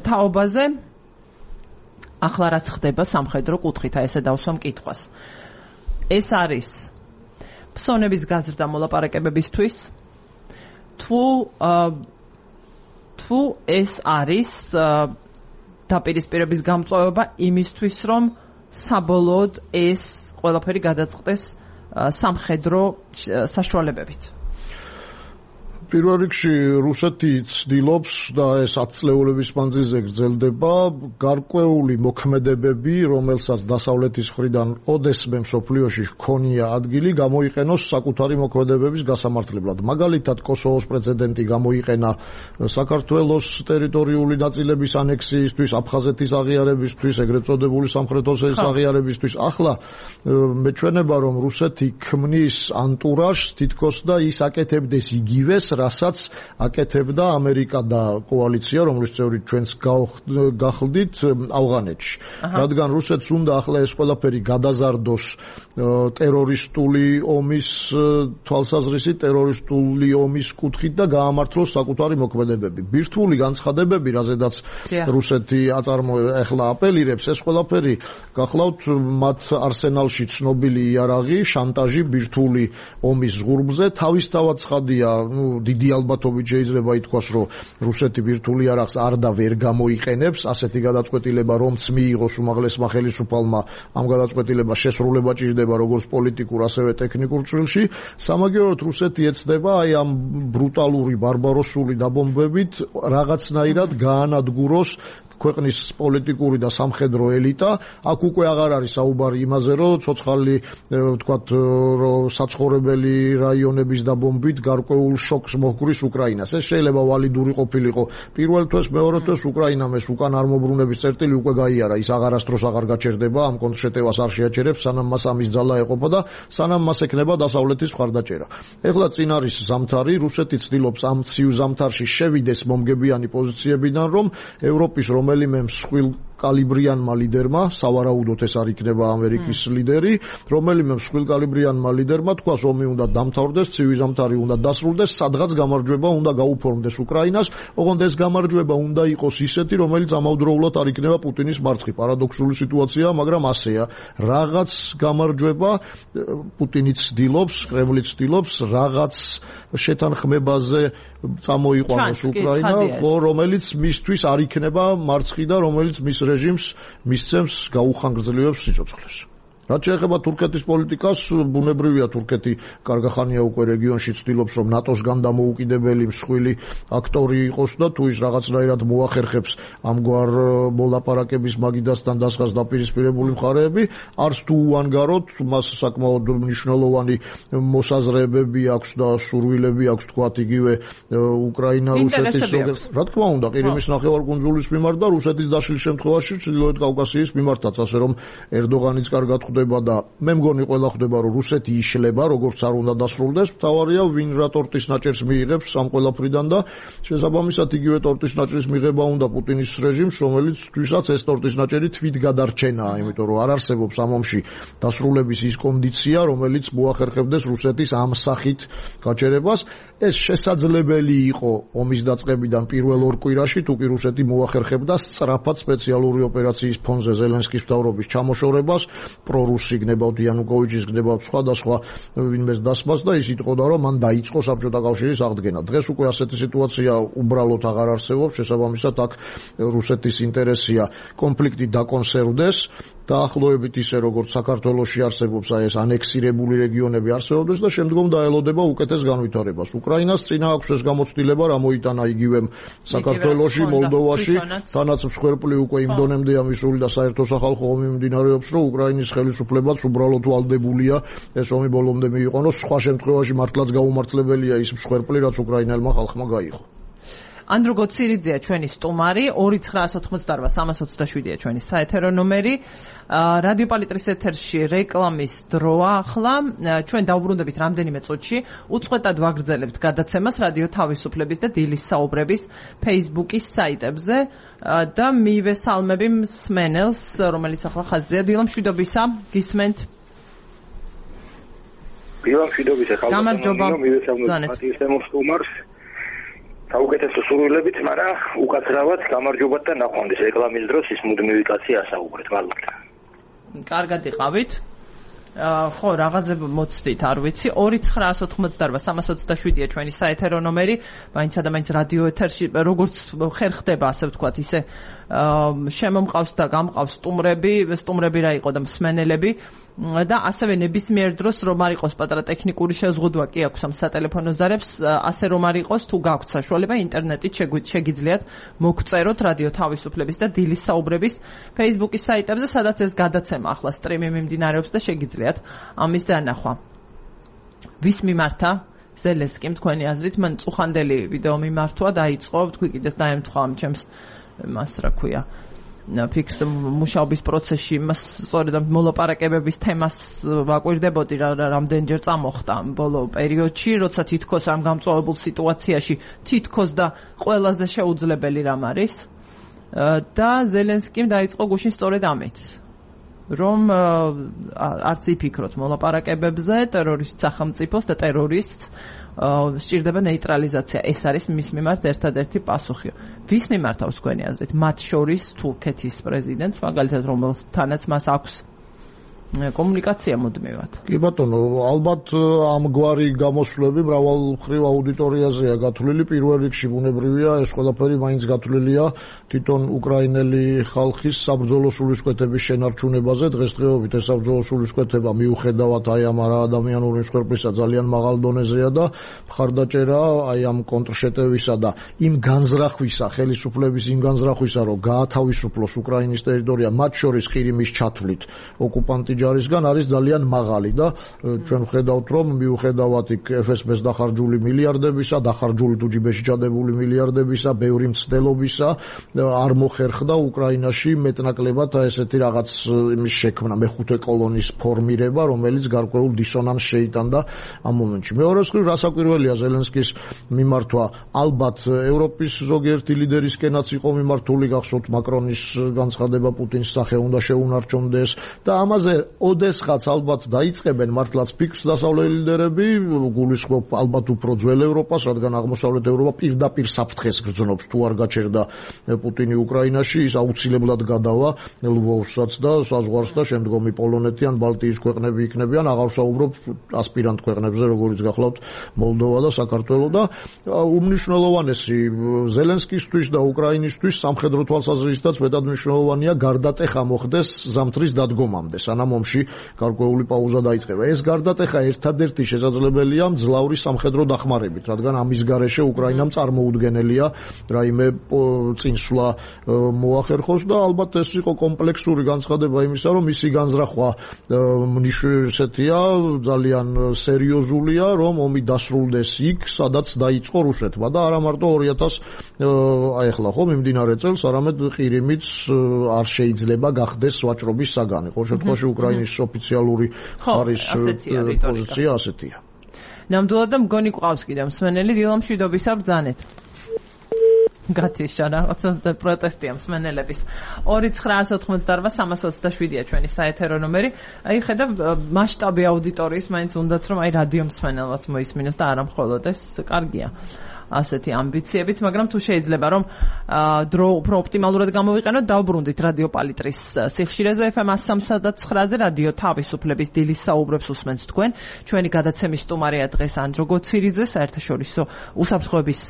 A: თაობაზე. ახლა რაც ხდება სამხედრო კუთხით, ესე დავსვა მკითხვას. ეს არის ფსონების გაზრდა მოლაპარაკებებისთვის თუ თუ ეს არის დაპირისპირების გამწვავება იმისთვის, რომ საბოლოოდ ეს ყველაფერი გადაწყდეს სამხედრო საშუალებებით.
C: პირველ რიგში რუსეთი ცდილობს და ეს ათწლეულების მანძილზე გრძელდება გარკვეული მოქმედებები, რომელსაც დასავლეთის მხრიდან ოდესმე მსოფლიოში ჰქონია ადგილი, გამოიყენოს საკუთარი მოქმედებების გასამართლებლად. მაგალითად, კოსოვოს პრეცედენტი გამოიყენა საქართველოს ტერიტორიული ნაწილების ანექსიისთვის, აფხაზეთის აღიარებისთვის, ეგრეთ წოდებული სამხრეთ ოსეთის აღიარებისთვის. ახლა მეჩვენება, რომ რუსეთი ქმნის ანტურაჟს თითქოს და ის აკეთებდეს იგივეს, რასაც აკეთებდა ამერიკა და კოალიცია, რომლის წევრი ჩვენც გახლდით ავღანეთში. რადგან რუსეთს უნდა ახლა ეს ყველაფერი გადაზარდოს ტერორისტული ომის თვალსაზრისით, ტერორისტული ომის კუთხით და გაამართლოს საკუთარი მოქმედებები. ბირთვული განცხადებები, რაზედაც რუსეთი ახლა აპელირებს, ეს ყველაფერი გახლავთ მათ არსენალში ცნობილი იარაღი, შანტაჟი ბირთვული ომის ზღურბზე. თავისთავად ცხადია, ნუ დიდი ალბათობით შეიძლება ითქვას, რომ რუსეთი ბირთვული იარაღს არ და ვერ გამოიყენებს. ასეთი გადაწყვეტილება რომც მიიღოს უმაღლესმა ხელისუფალმა, ამ გადაწყვეტილებას შესრულება ჭირდება როგორც პოლიტიკურ, ასევე ტექნიკურ ჭრილში. სამაგიეროდ რუსეთი ეცდება აი ამ ბრუტალური, ბარბაროსული დაბომბებით რაღაცნაირად გაანადგუროს ქვეყნის პოლიტიკური და სამხედრო ელიტა. აქ უკვე აღარ არის საუბარი იმაზე, რომ ცოცხალი ვთქვათ, რომ საცხოვრებელი რაიონების დაბომბით გარკვეულ შოკს მოჰგვრის უკრაინას. ეს შეიძლება ვალიდური ყოფილიყო პირველ თვეს, მეორე თვეს უკრაინამ ეს უკან არ მოbrunების წერტილი უკვე გაიარა. ის აღარასდროს აღარ გაჩერდება, ამ კონტრშეტევას არ შეაჩერებს, სანამ მას ამის ძალა ეყოფა და სანამ მას ექნება დასავლეთის მხარდაჭერა. ეხლა წინ არის ზამთარი, რუსეთი ცდილობს ამ ცივ ზამთარში შევიდეს მომგებიანი პოზიციებიდან, რომ ევროპის რომელიმე მსხვილ კალიბრიანმა ლიდერმა, სავარაუდოდ ეს არ იქნება ამერიკის ლიდერი, რომელიმე მსხვილ კალიბრიანმა ლიდერმა თქვას, ომი უნდა დამთავრდეს, ცივი ზამთარი უნდა დასრულდეს, სადღაც გამარჯვება უნდა გაუფორმდეს უკრაინას, ოღონდ ეს გამარჯვება უნდა იყოს ისეთი, რომელიც ამავდროულად არ იქნება პუტინის მარცხი. პარადოქსული სიტუაციაა, მაგრამ ასეა. რაღაც გამარჯვება პუტინიც ცდილობს, კრემლიც ცდილობს, რაღაც შეთანხმებაზე წამოიყვანოს უკრაინა, რომელიც მისთვის არ იქნება მარცხი და რომელიც მის რეჟიმს მისცემს გაუხანგრძლივებს სიცოცხლეს. რაც შეეხება თურქეთის პოლიტიკას, ბუნებრივია თურქეთი კარგახანია უკვე რეგიონში ცდილობს, რომ ნატოსგან დამოუკიდებელი მსხვილი აქტორი იყოს და თუ ის რაღაცნაირად მოახერხებს ამგვარ მოლაპარაკების მაგიდასთან დასხას დაპირისპირებული მხარეები, არც თუ უანგაროდ, მას საკმაოდ მნიშვნელოვანი მოსაზრებები აქვს და სურვილები აქვს თქვათ იგივე უკრაინა რუსეთის როგორც რა თქმა უნდა ყირიმის ნახევარკუნძულის მიმართ და რუსეთის დაშლის შემთხვევაში ჩრდილოეთ კავკასიის მიმართაც, ასე რომ ერდოღანიც კარგად და მე მგონი ყველა ხვდება რომ რუსეთი იშლება როგორც არ უნდა დასრულდეს, მთავარია ვინ რა ტორტის ნაჭერს მიიღებს ამ ყველაფრიდან და შესაბამისად იგივე ტორტის ნაჭრის მიღება უნდა პუტინის რეჟიმს, რომელიც თვითაც ეს ტორტის ნაჭერი თვით გადარჩენაა, იმიტომ რომ არ არსებობს ამ ომში დასრულების ის კონდიცია, რომელიც მოახერხებდეს რუსეთის ამ სახით გაჩერებას. ეს შესაძლებელი იყო ომის დაწყებიდან პირველ ორ კვირაში, თუ კი რუსეთი მოახერხებდა სწრაფად სპეციალური ოპერაციის ფონზე ზელენსკის მთავრობის ჩამოშორებას, პრორუსი გნებავთ იანუკოვიჩის გნებავთ სხვადასხვა ვინმეს დასმას და ის იტყოდა, რომ მან დაიწყო საბჭოთა კავშირის აღდგენა. დღეს უკვე ასეთი სიტუაცია უბრალოდ აღარ არსებობს, შესაბამისად აქ რუსეთის ინტერესია კონფლიქტი დაკონსერვდეს, დაახლოებით ისე როგორც საქართველოში არსებობს აი ეს ანექსირებული რეგიონები არსებობდეს და შემდგომ დაელოდება უკეთეს განვითარებას. უკრაინას წინა აქვს ეს გამოცდილება, რა მოიტანა იგივე საქართველოში, მოლდოვაში, თანაც მსხვერპლი უკვე იმ დონემდეა მისული და საერთო სახალხო ომი მიმდინარეობს, რომ უკრაინის ხელისუფლებაც უბრალოდ ვალდებულია ეს ომი ბოლომდე მიიყვანოს, სხვა შემთხვევაში მართლაც გაუმართლებელია ის მსხვერპლი, რაც უკრაინელმა ხალხმა გაიღო.
A: ანდრო გოცირიძეა ჩვენი სტუმარი, ორი ცხრაას ოცდაოთხმოცდაარბა სამას ოცდაშვიდია ჩვენი საეთერო ნომერი. რადიო პალიტრის ეთერში რეკლამის დროა ახლა. ჩვენ დავბრუნდებით რამდენიმე წუთში. უწყვეტად ვაგრძელებთ გადაცემას რადიო თავისუფლების და დილის საუბრების Facebook-ის საიტებზე და მივესალმები მსმენელს, რომელიც ახლა ხაზზეა. დილა მშვიდობისა, გისმენთ?
D: დილა მშვიდობისა,
A: გამარჯობა.
D: მივესალმებით საუკეთესო სურვილებით, მაგრამ უკაცრავად გამარჯობათ და ნახვამდის რეკლამის დროს ის მუდმივი კაცი ასაუბრეთ, მადლობა.
A: კარგად იყავით. ხო, რაღაცები მოცდით, არ ვიცი. ორი ცხრაას ოცდაოთხმოცდაარბა სამას ოცდაშვიდია ჩვენი საეთერო ნომერი. მაინც და მაინც რადიო ეთერში როგორც ხერ ხდება, ასე ვთქვათ, ისე შემომყავს და გამყავს სტუმრები, სტუმრები რა იყო და მსმენელები და ასევე ნებისმიერ დროს რომ არ იყოს პატარა ტექნიკური შეზღუდვა კი აქვს ამ სატელეფონო ზარებს, ასე რომ არ იყოს, თუ გაქვთ საშუალება ინტერნეტით შეგიძლიათ მოგწეროთ რადიო თავისუფლების და დილის საუბრების Facebook-ის საიტებზე, სადაც ეს გადაცემა ახლა სტრიმი მიმდინარეობს და შეგიძლიათ ამის დანახვა. ვის მიმართა? ზელენსკიმ თქვენი აზრით, მან წუხანდელი ვიდეო მიმართვა, დაიწყო, თქვი კიდეს დაემთხვა ამ ჩემს მას რა ქვია ფიქსდ მუშაობის პროცესში, მას სწორედ ამ მოლაპარაკებების თემას ვაკვირდებოდი, რამდენჯერ წამოხდა ამ ბოლო პერიოდში, როცა თითქოს ამ გამწვავებულ სიტუაციაში თითქოს და ყველაზე შეუძლებელი რამ არის და ზელენსკიმ დაიწყო გუშინ სწორედ ამით, რომ არც იფიქროთ მოლაპარაკებებზე, ტერორისტ სახელმწიფოს და ტერორისტს სჭირდება ნეიტრალიზაცია. ეს არის მის მიმართ ერთადერთი პასუხი. ვის მიმართავს თქვენი აზრით? მათ შორის თურქეთის პრეზიდენტს, მაგალითად, რომელთანაც მას აქვს კომუნიკაცია მუდმივად.
C: კი ბატონო, ალბათ ამგვარი გამოსვლები მრავალ მხრივ აუდიტორიაზეა გათვლილი. პირველ რიგში ბუნებრივია, ეს ყველაფერი მაინც გათვლილია თვითონ უკრაინელი ხალხის საბრძოლო სულისკვეთების შენარჩუნებაზე. დღესდღეობით ეს საბრძოლო სულისკვეთება მიუხედავად აი ამ არაადამიანური მსხვერპლისა ძალიან მაღალ დონეზეა და მხარდაჭერა აი ამ კონტრშეტევისა და იმ განზრახვისა, ხელისუფლების იმ განზრახვისა, რომ გაათავისუფლოს უკრაინის ტერიტორია, მათ შორის ყირიმის ჩათვლით ოკუპანტი ჯარისგან არის ძალიან მაღალი და ჩვენ ვხედავთ რომ მიუხედავად იქ ეფ ეს ბეს დახარჯული მილიარდებისა, დახარჯული თუ ჯიბეში ჩადებული მილიარდებისა, ბევრი მცდელობისა არ მოხერხდა უკრაინაში მეტნაკლებად ესეთი რაღაც იმის შექმნა, მეხუთე კოლონის ფორმირება, რომელიც გარკვეულ დისონანსს შეიტანდა ამ მომენტში. მეორე მხრივ რასაკვირველია ზელენსკის მიმართვა, ალბათ ევროპის ზოგიერთი ლიდერისკენაც იყო მიმართული, გახსოვთ მაკრონის განცხადება პუტინს სახე უნდა შეუნარჩუნდეს და ამაზე ოდესღაც ალბათ დაიწყებენ მართლაც ფიქრს დასავლელი ლიდერები, გულისხმობ ალბათ უფრო ძველ ევროპას, რადგან აღმოსავლეთ ევროპა პირდაპირ საფრთხეს გრძნობს, თუ არ გაჩერდა პუტინი უკრაინაში, ის აუცილებლად გადავა ლვოვსაც და საზღვარს და შემდგომი პოლონეთი ან ბალტიის ქვეყნები იქნებიან, აღარ ვსაუბრობ ასპირანტ ქვეყნებზე, როგორიც გახლავთ მოლდოვა და საქართველო და უმნიშვნელოვანესი ზელენსკისთვის და უკრაინისთვის სამხედრო თვალსაზრისითაც მეტად მნიშვნელოვანია გარდატეხა მოხდეს ზამთრის დადგომამდე, სანამ ომში გარკვეული პაუზა დაიწყება. ეს გარდატეხა ერთადერთი შესაძლებელია მძლავრი სამხედრო დახმარებით, რადგან ამის გარეშე უკრაინამ წარმოუდგენელია რაიმე წინსვლა მოახერხოს და ალბათ ეს იყო კომპლექსური განცხადება იმისა, რომ მისი განზრახვა მნიშვნელოვანია, ძალიან სერიოზულია, რომ ომი დასრულდეს იქ, სადაც დაიწყო რუსეთმა და არა მარტო ორი ათას აი ახლა ხო მიმდინარე წელს, არამედ ყირიმიც არ შეიძლება გახდეს ვაჭრობის საგანი. ყოველ შემთხვევაში უკრაინის ოფიციალური ხარის პოზიცია ასეთია.
A: ნამდვილად და მგონი ყავს კიდევ მსმენელი დილამშვიდობისა ბრძანეთ. გათიშა რაღაცა პროტესტია მსმენელების. ორი ცხრაას ოთხმოცდაარბა სამას ოცდაშვიდია ჩვენი საეთერო ნომერი. აი ხედავ მასშტაბი აუდიტორიის მაინც უნდათ რომ აი რადიო მსმენელված მოისმინოს და არა მხოლოდ ეს კარგია. ასეთი ამბიციებიც, მაგრამ თუ შეიძლება რომ დრო უფრო ოპტიმალურად გამოვიყენოთ, დავბრუნდით რადიო პალიტრის სიხშირეზე ეფ ემ სამს და ცხრაზე რადიო თავისუფლების დილის საუბრებს უსმენთ თქვენ. ჩვენი გადაცემის სტუმარია დღეს ანდრო გოცირიძე, საერთაშორისო უსაფრთხოების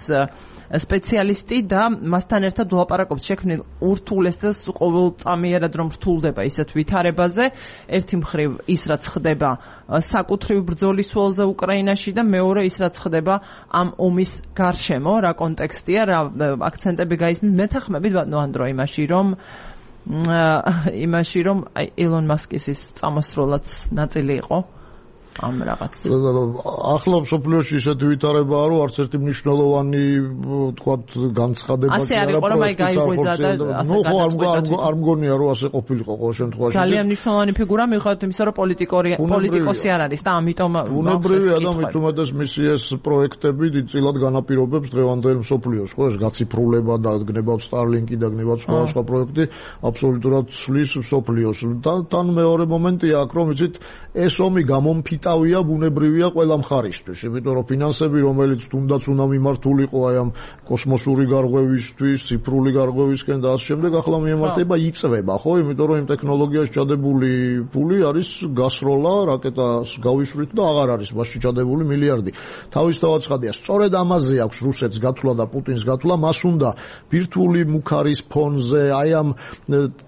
A: სპეციალისტი და მასთან ერთად ვლაპარაკობთ შექმნილ ურთულეს და ყოველწამიერად რომ რთულდება ისეთ ვითარებაზე. ერთი მხრივ ის რაც ხდება საკუთრივ ბრძოლის ველზე უკრაინაში და მეორე ის რაც ხდება ამ ომის გარშემო, რა კონტექსტია, რა აქცენტები გაისმის მეთანხმებით ბატონო ანდრო იმაში, რომ იმაში რომ ილონ მასკის ის წამოსროლაც ნაწილი იყო ამ რაღაც.
C: ახლა მსოფლიოში ისეთი ვითარებაა, რომ არც ერთი მნიშვნელოვანი თქვათ განცხადება
A: ასე არ იყო, რომ აი გაიღვიძა და ასე
C: გადაწყვეტა. არ მგონია, რომ ასე ყოფილიყო ყოველ შემთხვევაში.
A: ძალიან მნიშვნელოვანი ფიგურა მიუხედავად იმისა, რომ პოლიტიკორი პოლიტიკოსი არ არის და ამიტომ
C: ბუნებრივია და მით უმეტეს მისი ეს პროექტები დიდწილად განაპირობებს დღევანდელ მსოფლიოს, ხო, ეს გაციფრულება და გნებავ სტარლინკი და გნებავ სხვა სხვა პროექტი აბსოლუტურად ცვლის მსოფლიოს. და თან მეორე მომენტია აქ, რომ იცით, ეს ომი გამომფიტა ავია ბუნებრივია ყველა მხარისთვის, იმიტომ რომ ფინანსები, რომელიც თუნდაც უნდა მიმართულიყო აი ამ კოსმოსური გარღვევისთვის, ციფრული გარღვევისკენ და ასე შემდეგ, ახლა მიემართება იწვება, ხო, იმიტომ რომ იმ ტექნოლოგიაში ჩადებული ფული არის გასროლა, რაკეტას გავისვრით და აღარ არის მასში ჩადებული მილიარდი. თავისთავად ცხადია, სწორედ ამაზე აქვს რუსეთს გათვლა და პუტინს გათვლა, მას უნდა ბირთვული მუქარის ფონზე, აი ამ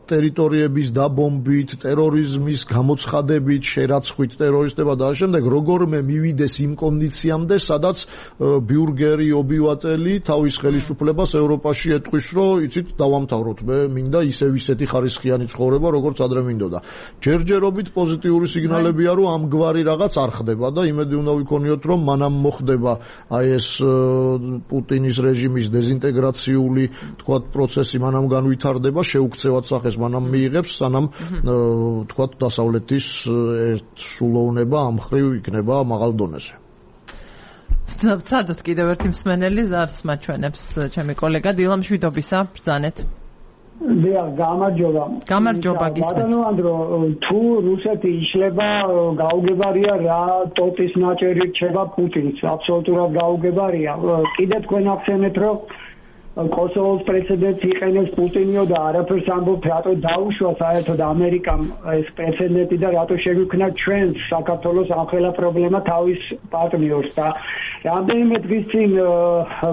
C: ტერიტორიების დაბომბით, ტერორიზმის გამოცხადებით, შერაცხვით ტერორისტებად და შემდეგ როგორმე მივიდეს იმ კონდიციამდე, სადაც ბიურგერი, ობივატელი თავის ხელისუფლებას ევროპაში ეტყვის, რომ იცით, დავამთავროთ, მე მინდა ისევ ისეთი ხარისხიანი ცხოვრება, როგორც ადრე მინდოდა. ჯერჯერობით პოზიტიური სიგნალებია, რომ ამგვარი რაღაც არ ხდება და იმედი უნდა ვიქონიოთ, რომ მანამ მოხდება აი ეს პუტინის რეჟიმის დეზინტეგრაციული, თქვათ, პროცესი მანამ განვითარდება, შეუქცევად სახეს მანამ მიიღებს, სანამ თქვათ, დასავლეთის ერთსულოვნება ამ მხრივ იქნება მაღალ დონეზე.
A: ვცადოთ კიდევ ერთი მსმენელი ზარს მაჩვენებს ჩემი კოლეგა დილამშვიდობისა ბრძანეთ.
E: დიახ, გამარჯობა.
A: გამარჯობა გისმენთ.
E: ბატონო ანდრო, თუ რუსეთი იშლება, გაუგებარია რა ტოტის ნაჭერი რჩება პუტინს, აბსოლუტურად გაუგებარია. კიდე თქვენ ახსენეთ, რომ კოსოვოს პრეცედენტს იყენებს პუტინიო და არაფერს ამბობთ, რატო დაუშვა საერთოდ ამერიკამ ეს პრეცედენტი და რატო შეგვიქმნა ჩვენს საქართველოს ამხელა პრობლემა თავის პარტნიორს და რამდენიმე დღის წინ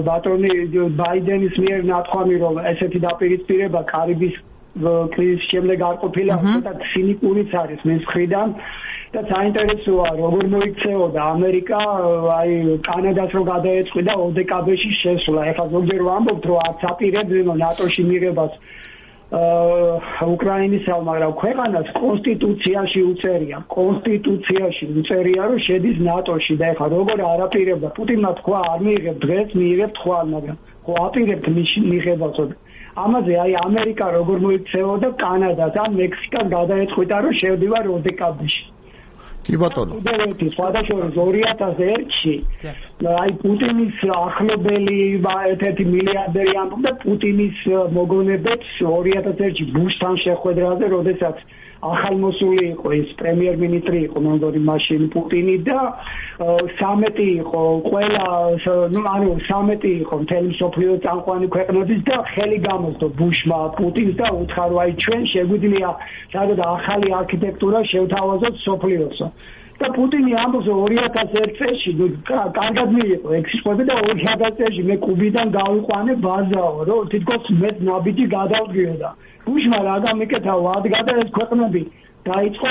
E: ბატონი ბაიდენის მიერ ნათქვამი, რომ ესეთი დაპირისპირება კარიბის კრიზისის შემდეგ არ ყოფილა, უბრალოდ ცინიკურიც არის მის მხრიდან. და საინტერესოა როგორ მოიქცეოდა ამერიკა აი კანადას რო გადაეწყვი და ოდეკაბეში შესვლა. ეხლა ზოგჯერ ვამბობთ რომ არც აპირებდნენ ნატოში მიღებას უკრაინისა, მაგრამ ქვეყანას კონსტიტუციაში უწერია, კონსტიტუციაში უწერია, რომ შედის ნატოში და ეხლა როგორ არაპირებდა პუტინმა თქვა, არ მიიღებ დღეს, მიიღებ ხვალ, მაგრამ ხო აპირებთ მიღებასო. ამაზე აი ამერიკა როგორ მოიქცეოდა კანადას ან მექსიკას გადაეწყვიტა, რომ შევდივარ ოდეკაბში.
C: კი ბატონო.
E: ფედერაციის სხვადასხვა ორი ათას ერთში აი პუტინის ახლობელი ერთ-ერთი მილიარდერი ამბობდა პუტინის მოგონებებს ორი ათას ერთში ბუშთან შეხვედრაზე, როდესაც ახალმოსული იყო ის პრემიერ-მინისტრი იყო მონდორი მაშინ პუტინი და სამეტი იყო ყველა ნუ ანუ სამეტი იყო მთელი მსოფლიოს წამყვანი ქვეყნების და ხელი გამოსდო ბუშმა პუტინს და უცხარო აი ჩვენ შეგვიძლია სადღაც ახალი არქიტექტურა შევთავაზოთ მსოფლიოსო და პუტინი ამბობს ორი ათას ერთ წელს კარგად მიიღო ექსპორტი და ორი ათას წელს მე კუბიდან გავიყვანე ბაზაო რომ თითქოს მე ნაბიჯი გადავდგიოდა ბუშმა რა გამიკეთა ვად გადაეს ქვეყნები დაიწყო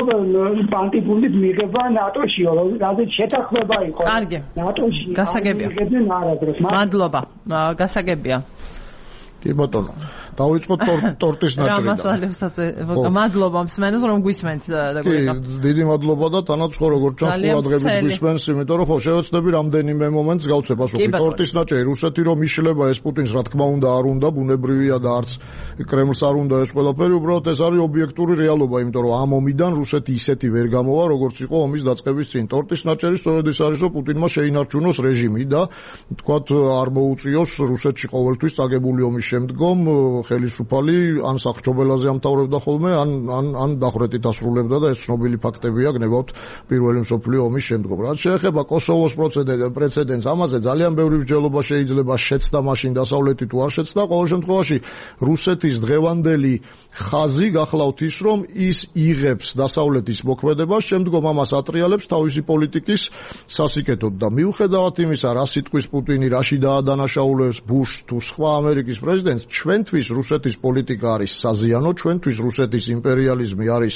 E: პანტიფუნდით მიღება ნატოშიო რაზეც შეთანხმება იყო
A: კარგი
E: ნატოში
A: გასაგებია მადლობა გასაგებია
C: კი ბატონო დავიწყოთ ტორტის ნაჭრიდან.
A: რა მასალებსაც მადლობა მსმენელს რომ გვისმენთ და
C: გიგა. კი, დიდი მადლობა და თანაც ხო როგორც ჩანს ყურადღებით გვისმენს, იმიტომ რომ ხო შევეცდები რამდენიმე მომენტს გავცე პასუხი. ტორტის ნაჭერი რუსეთი რომ იშლება ეს პუტინს რა თქმა უნდა არ უნდა, ბუნებრივია და არც კრემლს არ უნდა ეს ყველაფერი, უბრალოდ ეს არის ობიექტური რეალობა, იმიტომ რომ ამ ომიდან რუსეთი ისეთი ვერ გამოვა, როგორც იყო ომის დაწყების წინ. ტორტის ნაჭერი სწორედ ის არის, რომ პუტინმა შეინარჩუნოს რეჟიმი და თქვათ არ მოუწიოს რუსეთში ყოველთვის წაგებული ომის შემდგომ ხელისუფალი ან სახჭობელაზე ამთავრებდა ხოლმე, ან ან ან დახვრეტით ასრულებდა და ეს ცნობილი ფაქტებია გნებავთ პირველი მსოფლიო ომის შემდგომ. რაც შეეხება კოსოვოს პრეცედენტს, ამაზე ძალიან ბევრი მსჯელობა შეიძლება შეცდა მაშინ დასავლეთი თუ არ შეცდა. ყოველ შემთხვევაში რუსეთის დღევანდელი ხაზი გახლავთ ის, რომ ის იღებს დასავლეთის მოქმედებას, შემდგომ ამას ატრიალებს თავისი პოლიტიკის სასიკეთოდ და მიუხედავად იმისა, რა სიტყვის პუტინი რაში დაადანაშაულებს ბუშს თუ სხვა ამერიკის პრეზიდენტს, ჩვენთვის რუსეთის პოლიტიკა არის საზიანო, ჩვენთვის რუსეთის იმპერიალიზმი არის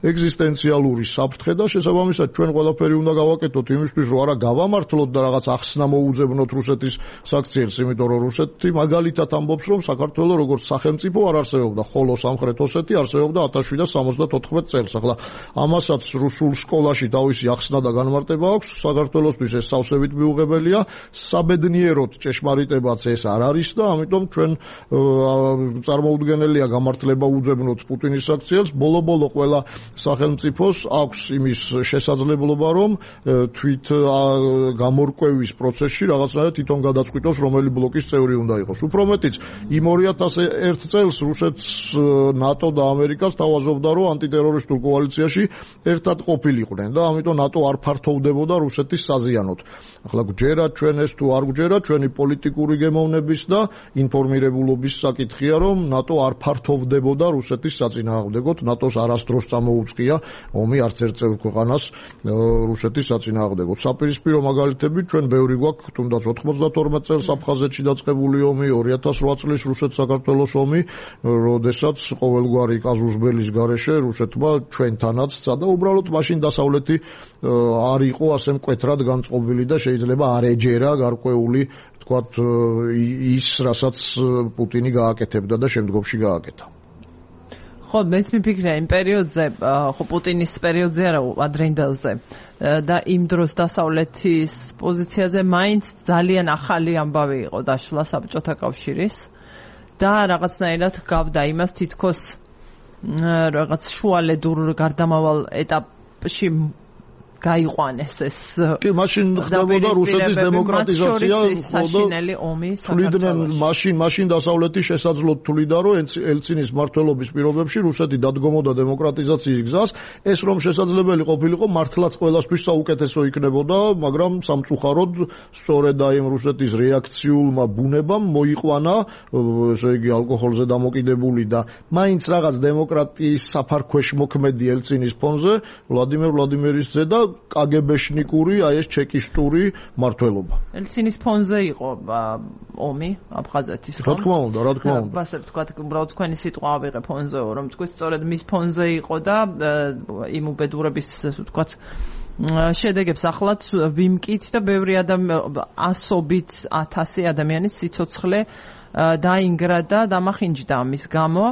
C: ეგზისტენციალური საფრთხე და შესაბამისად ჩვენ ყველაფერი უნდა გავაკეთოთ იმისთვის, რომ არა გავამართლოთ და რაღაც ახსნა მოუძებნოთ რუსეთის საქციელს, იმიტომ რომ რუსეთი მაგალითად ამბობს, რომ საქართველოს როგორც სახელმწიფო არ არსებობდა, ხოლო სამხრეთ ოსეთი არსებობდა ათას შვიდსათ სამოცდათოთხმეტ წელს. ახლა ამასაც რუსულ სკოლაში თავისი ახსნა და განმარტება აქვს, საქართველოსთვის ეს სავსებით მიუღებელია, საბედნიეროდ ჭეშმარიტებაც ეს არ არის და ამიტომ ჩვენ წარმოუდგენელია გამართლება უძებნოთ პუტინის საქციელს. ბოლო-ბოლო ყველა სახელმწიფოს აქვს იმის შესაძლებლობა, რომ თვით გამორკვევის პროცესში რაღაცნაირად თვითონ გადაწყვიტოს, რომელი ბლოკის წევრი უნდა იყოს. უფრო მეტიც, იმ ორი ათას ერთ წელს რუსეთს ნატო და ამერიკა სთავაზობდა, რომ ანტიტერორისტულ კოალიციაში ერთად ყოფილიყვნენ და ამიტომ ნატო არ ფართოვდებოდა რუსეთის საზიანოდ. ახლა გვჯერა ჩვენ ეს თუ არ გვჯერა, ჩვენი პოლიტიკური გემოვნების და ინფორმირებულობის საკითხია, რომ ნატო არ ფართოვდებოდა რუსეთის საწინააღმდეგოდ, ნატოს არასდროს წამოუწყია ომი არც ერთ წევრ ქვეყანას რუსეთის საწინააღმდეგოდ. საპირისპირო მაგალითები ჩვენ ბევრი გვაქვს, თუნდაც ოთხმოცდათორმეტ წელს აფხაზეთში დაწყებული ომი, ორი ათას რვა წლის რუსეთ-საქართველოს ომი, როდესაც ყოველგვარი კაზუსბელის გარეშე რუსეთმა ჩვენთანაც სცადა, უბრალოდ მაშინ დასავლეთი არ იყო ასე მკვეთრად განწყობილი და შეიძლება არ ეჯერა გარკვეული თქვათ ის, რასაც პუტინი გააკეთებდა და შემდგომში გააკეთა.
A: ხო, მეც მიფიქრია იმ პერიოდზე, ხო პუტინის პერიოდზე არა, ადრინდელზე და იმ დროს დასავლეთის პოზიციაზე მაინც ძალიან ახალი ამბავი იყო დაშლა საბჭოთა კავშირის და რაღაცნაირად გავდა იმას თითქოს რაღაც შუალედურ გარდამავალ ეტაპში გაიყვანეს ეს.
C: კი, მაშინ ხდებოდა რუსეთის დემოკრატიზაცია,
A: საშინელი ომი
C: საქართველოში. მაშინ, მაშინ დასავლეთი შესაძლოდ თვლიდა, რომ ელცინის მმართველობის პირობებში რუსეთი დადგომოდა დემოკრატიზაციის გზას. ეს რომ შესაძლებელი ყოფილიყო, მართლაც ყველასთვის საუკეთესო იქნებოდა, მაგრამ სამწუხაროდ სწორედ აი რუსეთის რეაქციულმა ბუნებამ მოიყვანა, ესე იგი ალკოჰოლზე დამოკიდებული და მაინც რაღაც დემოკრატიის საფარქვეშ მოქმედი ელცინის ფონზე ვლადიმერ ვლადიმერის და კაგებეშნიკური, აი ეს ჩეკისტური მმართველობა.
A: ელცინის ფონზე იყო ომი აფხაზეთის,
C: რა თქმა უნდა, რა თქმა უნდა.
A: ასე ვთქვათ, უბრალოდ თქვენი სიტყვა ავიღე ფონზეო, რომ თქვი სწორედ მის ფონზე იყო და იმ უბედურების, ვთქვათ, შედეგებს ახლაც ვიმკით და ბევრი ადამიანი, ასობით ათასი ადამიანის სიცოცხლე დაინგრა და დამახინჯდა ამის გამო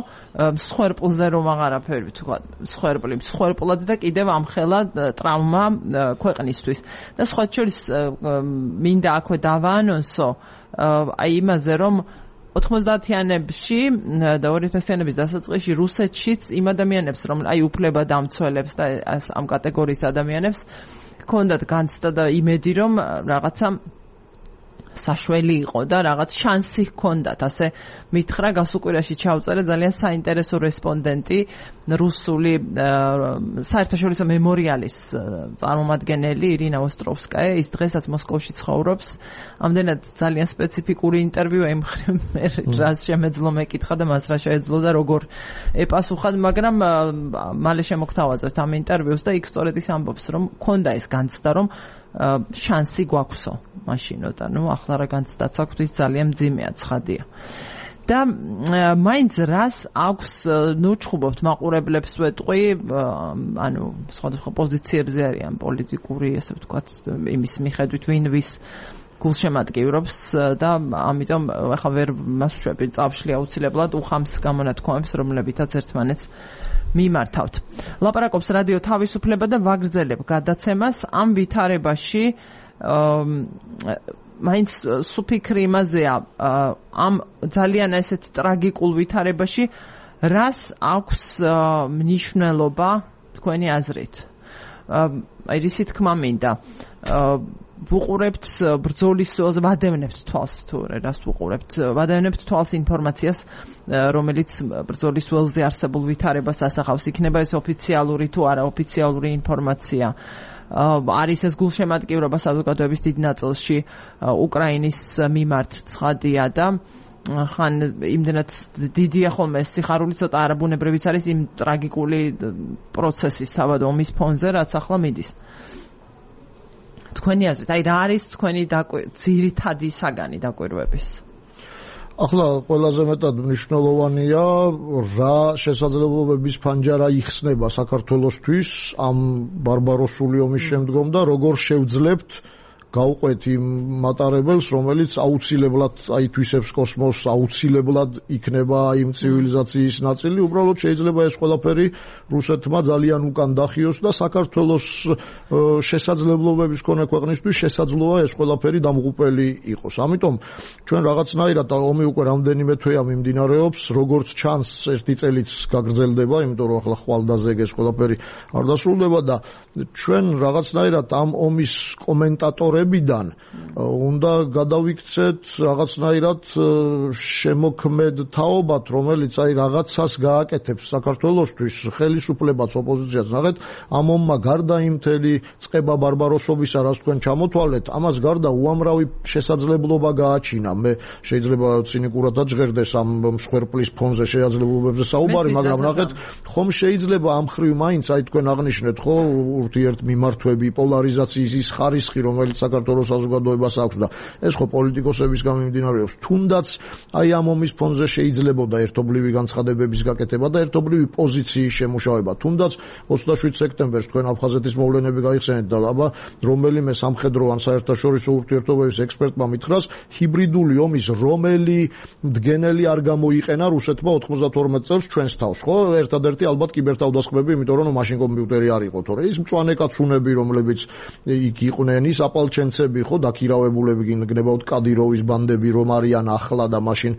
A: მსხვერპლზე რომ აღარაფერი თქვა მსხვერპლი მსხვერპლად და კიდევ ამხელა ტრავმა ქვეყნისთვის და სხვა შორის მინდა აქვე დავაანონსო აი იმაზე რომ ოთხმოცდაათიანებში და ორ-ათასიანების დასაწყისში რუსეთშიც იმ ადამიანებს რომ აი უფლება დამცველებს და ამ კატეგორიის ადამიანებს ჰქონდათ განცდა და იმედი რომ რაღაცა საშველი იყო და რაღაც შანსი ჰქონდათ ასე მითხრა გასუკვირაში ჩავწერე ძალიან საინტერესო რესპონდენტი რუსული საერთაშორისო მემორიალის წარმომადგენელი ირინა ოსტროვსკაია ის დღესაც მოსკოვში ცხოვრობს ამდენად ძალიან სპეციფიკური ინტერვიუ ემხრე მე რას შემეძლო მეკითხა და მას რა შეეძლო და როგორ ეპასუხა მაგრამ მალე შემოგთავაზებთ ამ ინტერვიუს და იქ სწორედ ის ამბობს რომ ჰქონდა ეს განცდა რომ შანსი გვაქვსო მაშინო და ნუ ახლა რა განცდაც აქვს ის ძალიან მძიმეა ცხადია და მაინც რას აქვს ნუ ჩხუბობთ მაყურებლებს ვეტყვი ანუ სხვადასხვა პოზიციებზე არიან პოლიტიკური ესე ვთქვათ იმის მიხედვით ვინ ვის გულშემატკივრობს და ამიტომ ახლა ვერ მასუშვები წავშლი აუცილებლად უხამს გამონათქვამებს რომლებითაც ერთმანეთს მიმართავთ. ლაპარაკობს რადიო თავისუფლება და ვაგრძელებ გადაცემას ამ ვითარებაში მაინც სუფიქრი იმაზეა ამ ძალიან ესეთ ტრაგიკულ ვითარებაში რას აქვს მნიშვნელობა თქვენი აზრით აი რისი თქმა მინდა ვუყურებთ ბრძოლის ველზე ვადევნებთ თვალს თუ რას ვუყურებთ ვადევნებთ თვალს ინფორმაციას რომელიც ბრძოლის ველზე არსებულ ვითარებას ასახავს იქნება ეს ოფიციალური თუ არა ოფიციალური ინფორმაცია არის ეს გულშემატკივრობა საზოგადოების დიდ ნაწილში უკრაინის მიმართ ცხადია და ხან იმდენად დიდია ხოლმე ეს სიხარული ცოტა არაბუნებრივიც არის იმ ტრაგიკული პროცესის საბადო ომის ფონზე რაც ახლა მიდის თქვენი აზრით აი რა არის თქვენი ძირითადი საგანი დაკვირვების
C: ახლა ყველაზე მეტად მნიშვნელოვანია რა შესაძლებლობების ფანჯარა იხსნება საქართველოსთვის ამ ბარბაროსული ომის შემდგომ და როგორ შევძლებთ გავყვეთ იმ მატარებელს, რომელიც აუცილებლად აითვისებს კოსმოსს, აუცილებლად იქნება იმ ცივილიზაციის ნაწილი, უბრალოდ შეიძლება ეს ყველაფერი რუსეთმა ძალიან უკან დახიოს და საქართველოს შესაძლებლობების მქონე ქვეყნისთვის შესაძლოა ეს ყველაფერი დამღუპელი იყოს. ამიტომ ჩვენ რაღაცნაირად ომი უკვე რამდენიმე თვეა მიმდინარეობს, როგორც ჩანს ერთი წელიც გაგრძელდება, იმიტომ რომ ახლა ხვალდაზე ეს ყველაფერი არ დასრულდება და ჩვენ რაღაცნაირად ამ ომის კომენტატორებიდან უნდა გადავიქცეთ რაღაცნაირად შემოქმედ თაობად, რომელიც აი რაღაცას გააკეთებს საქართველოსთვის, ხელისუფლებას, ოპოზიციას. ნახეთ, ამ ომმა გარდა იმ მთელი წყება ბარბაროსობისა, რაც თქვენ ჩამოთვალეთ, ამას გარდა უამრავი შესაძლებლობა გააჩინა. მე შეიძლება ცინიკურად აჯღერდეს ამ მსხვერპლის ფონზე შესაძლებლობებზე საუბარი, მაგრამ ნახეთ, ხომ შეიძლება ამ ხრივ მაინც აი თქვენ აღნიშნეთ, ხო, ურთიერთმიმართვები, პოლარიზაციის ის ხარისხი, რომელიც საქართველოს საზოგადოებას აქვს და ეს ხო პოლიტიკოსების გამიმდინარეობს. თუნდაც აი ამ ომის ფონზე შეიძლებოდა ერთობლივი განცხადებების გაკეთება და ერთობლივი პოზიციის შემუშავება. თუნდაც ოცდაშვიდ სექტემბერს თქვენ აფხაზეთის მოვლენები გაიხსენეთ და აბა რომელიმე სამხედრო ან საერთაშორისო ურთიერთობების ექსპერტმა მითხრას ჰიბრიდული ომის რომელი მდგენელი არ გამოიყენა რუსეთმა ოთხმოცდათორმეტ წელს ჩვენს თავს, ხო? ერთადერთი ალბათ კიბერთავდასხმები, იმიტომ რომ მაშინ კომპიუტერი არ იყო, თორე ის მწვანე კაცუნები, რომლებიც იქ იყვნენ, ის აპალჩენცები, ხო, დაქირავებულები გინგნებავთ კადიროვის ბანდები რომ არიან ახლა და მაშინ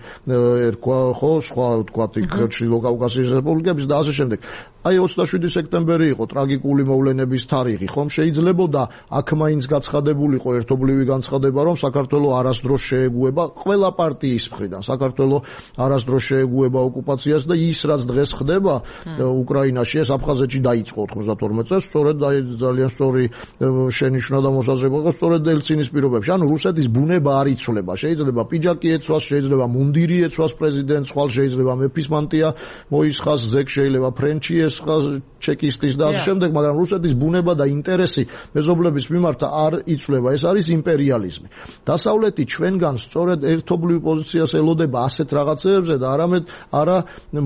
C: ერქვა, ხო, სხვა ვთქვათ იქ ჩრდილო კავკასიის რესპუბლიკების და ასე შემდეგ. აი ოცდაშვიდი სექტემბერი იყო ტრაგიკული მოვლენების თარიღი, ხომ შეიძლებოდა აქ მაინც გაცხადებულიყო ერთობლივი განცხადება, რომ საქართველოს არასდროს შეეგუება ყველა პარტიის მხრიდან, საქართველოს არასდროს შეეგუება ოკუპაციას და ის რაც დღეს ხდება უკრაინაში, ეს აფხაზეთში დაიწყო ოთხმოცდათორმეტ წელს, სწორედ ძალიან სწორი შენიშვნა და მოსაზრება იყო სწორედ ელცინის პირობებში. ანუ რუსეთის ბუნება არ იცვლება, შეიძლება პიჯაკი ეცვას, შეიძლება მუნდირი ეცვას პრეზიდენტს, ხვალ შეიძლება მეფის მანტია მოისხას, ზეგ შეიძლება ფრენჩი ჩეკისტის და ამ შემდეგ, მაგრამ რუსეთის ბუნება და ინტერესი მეზობლების მიმართ არ იცვლება. ეს არის იმპერიალიზმი. დასავლეთი ჩვენგან სწორედ ერთობლივ პოზიციას ელოდება ასეთ რაღაცეებზე და არამედ არა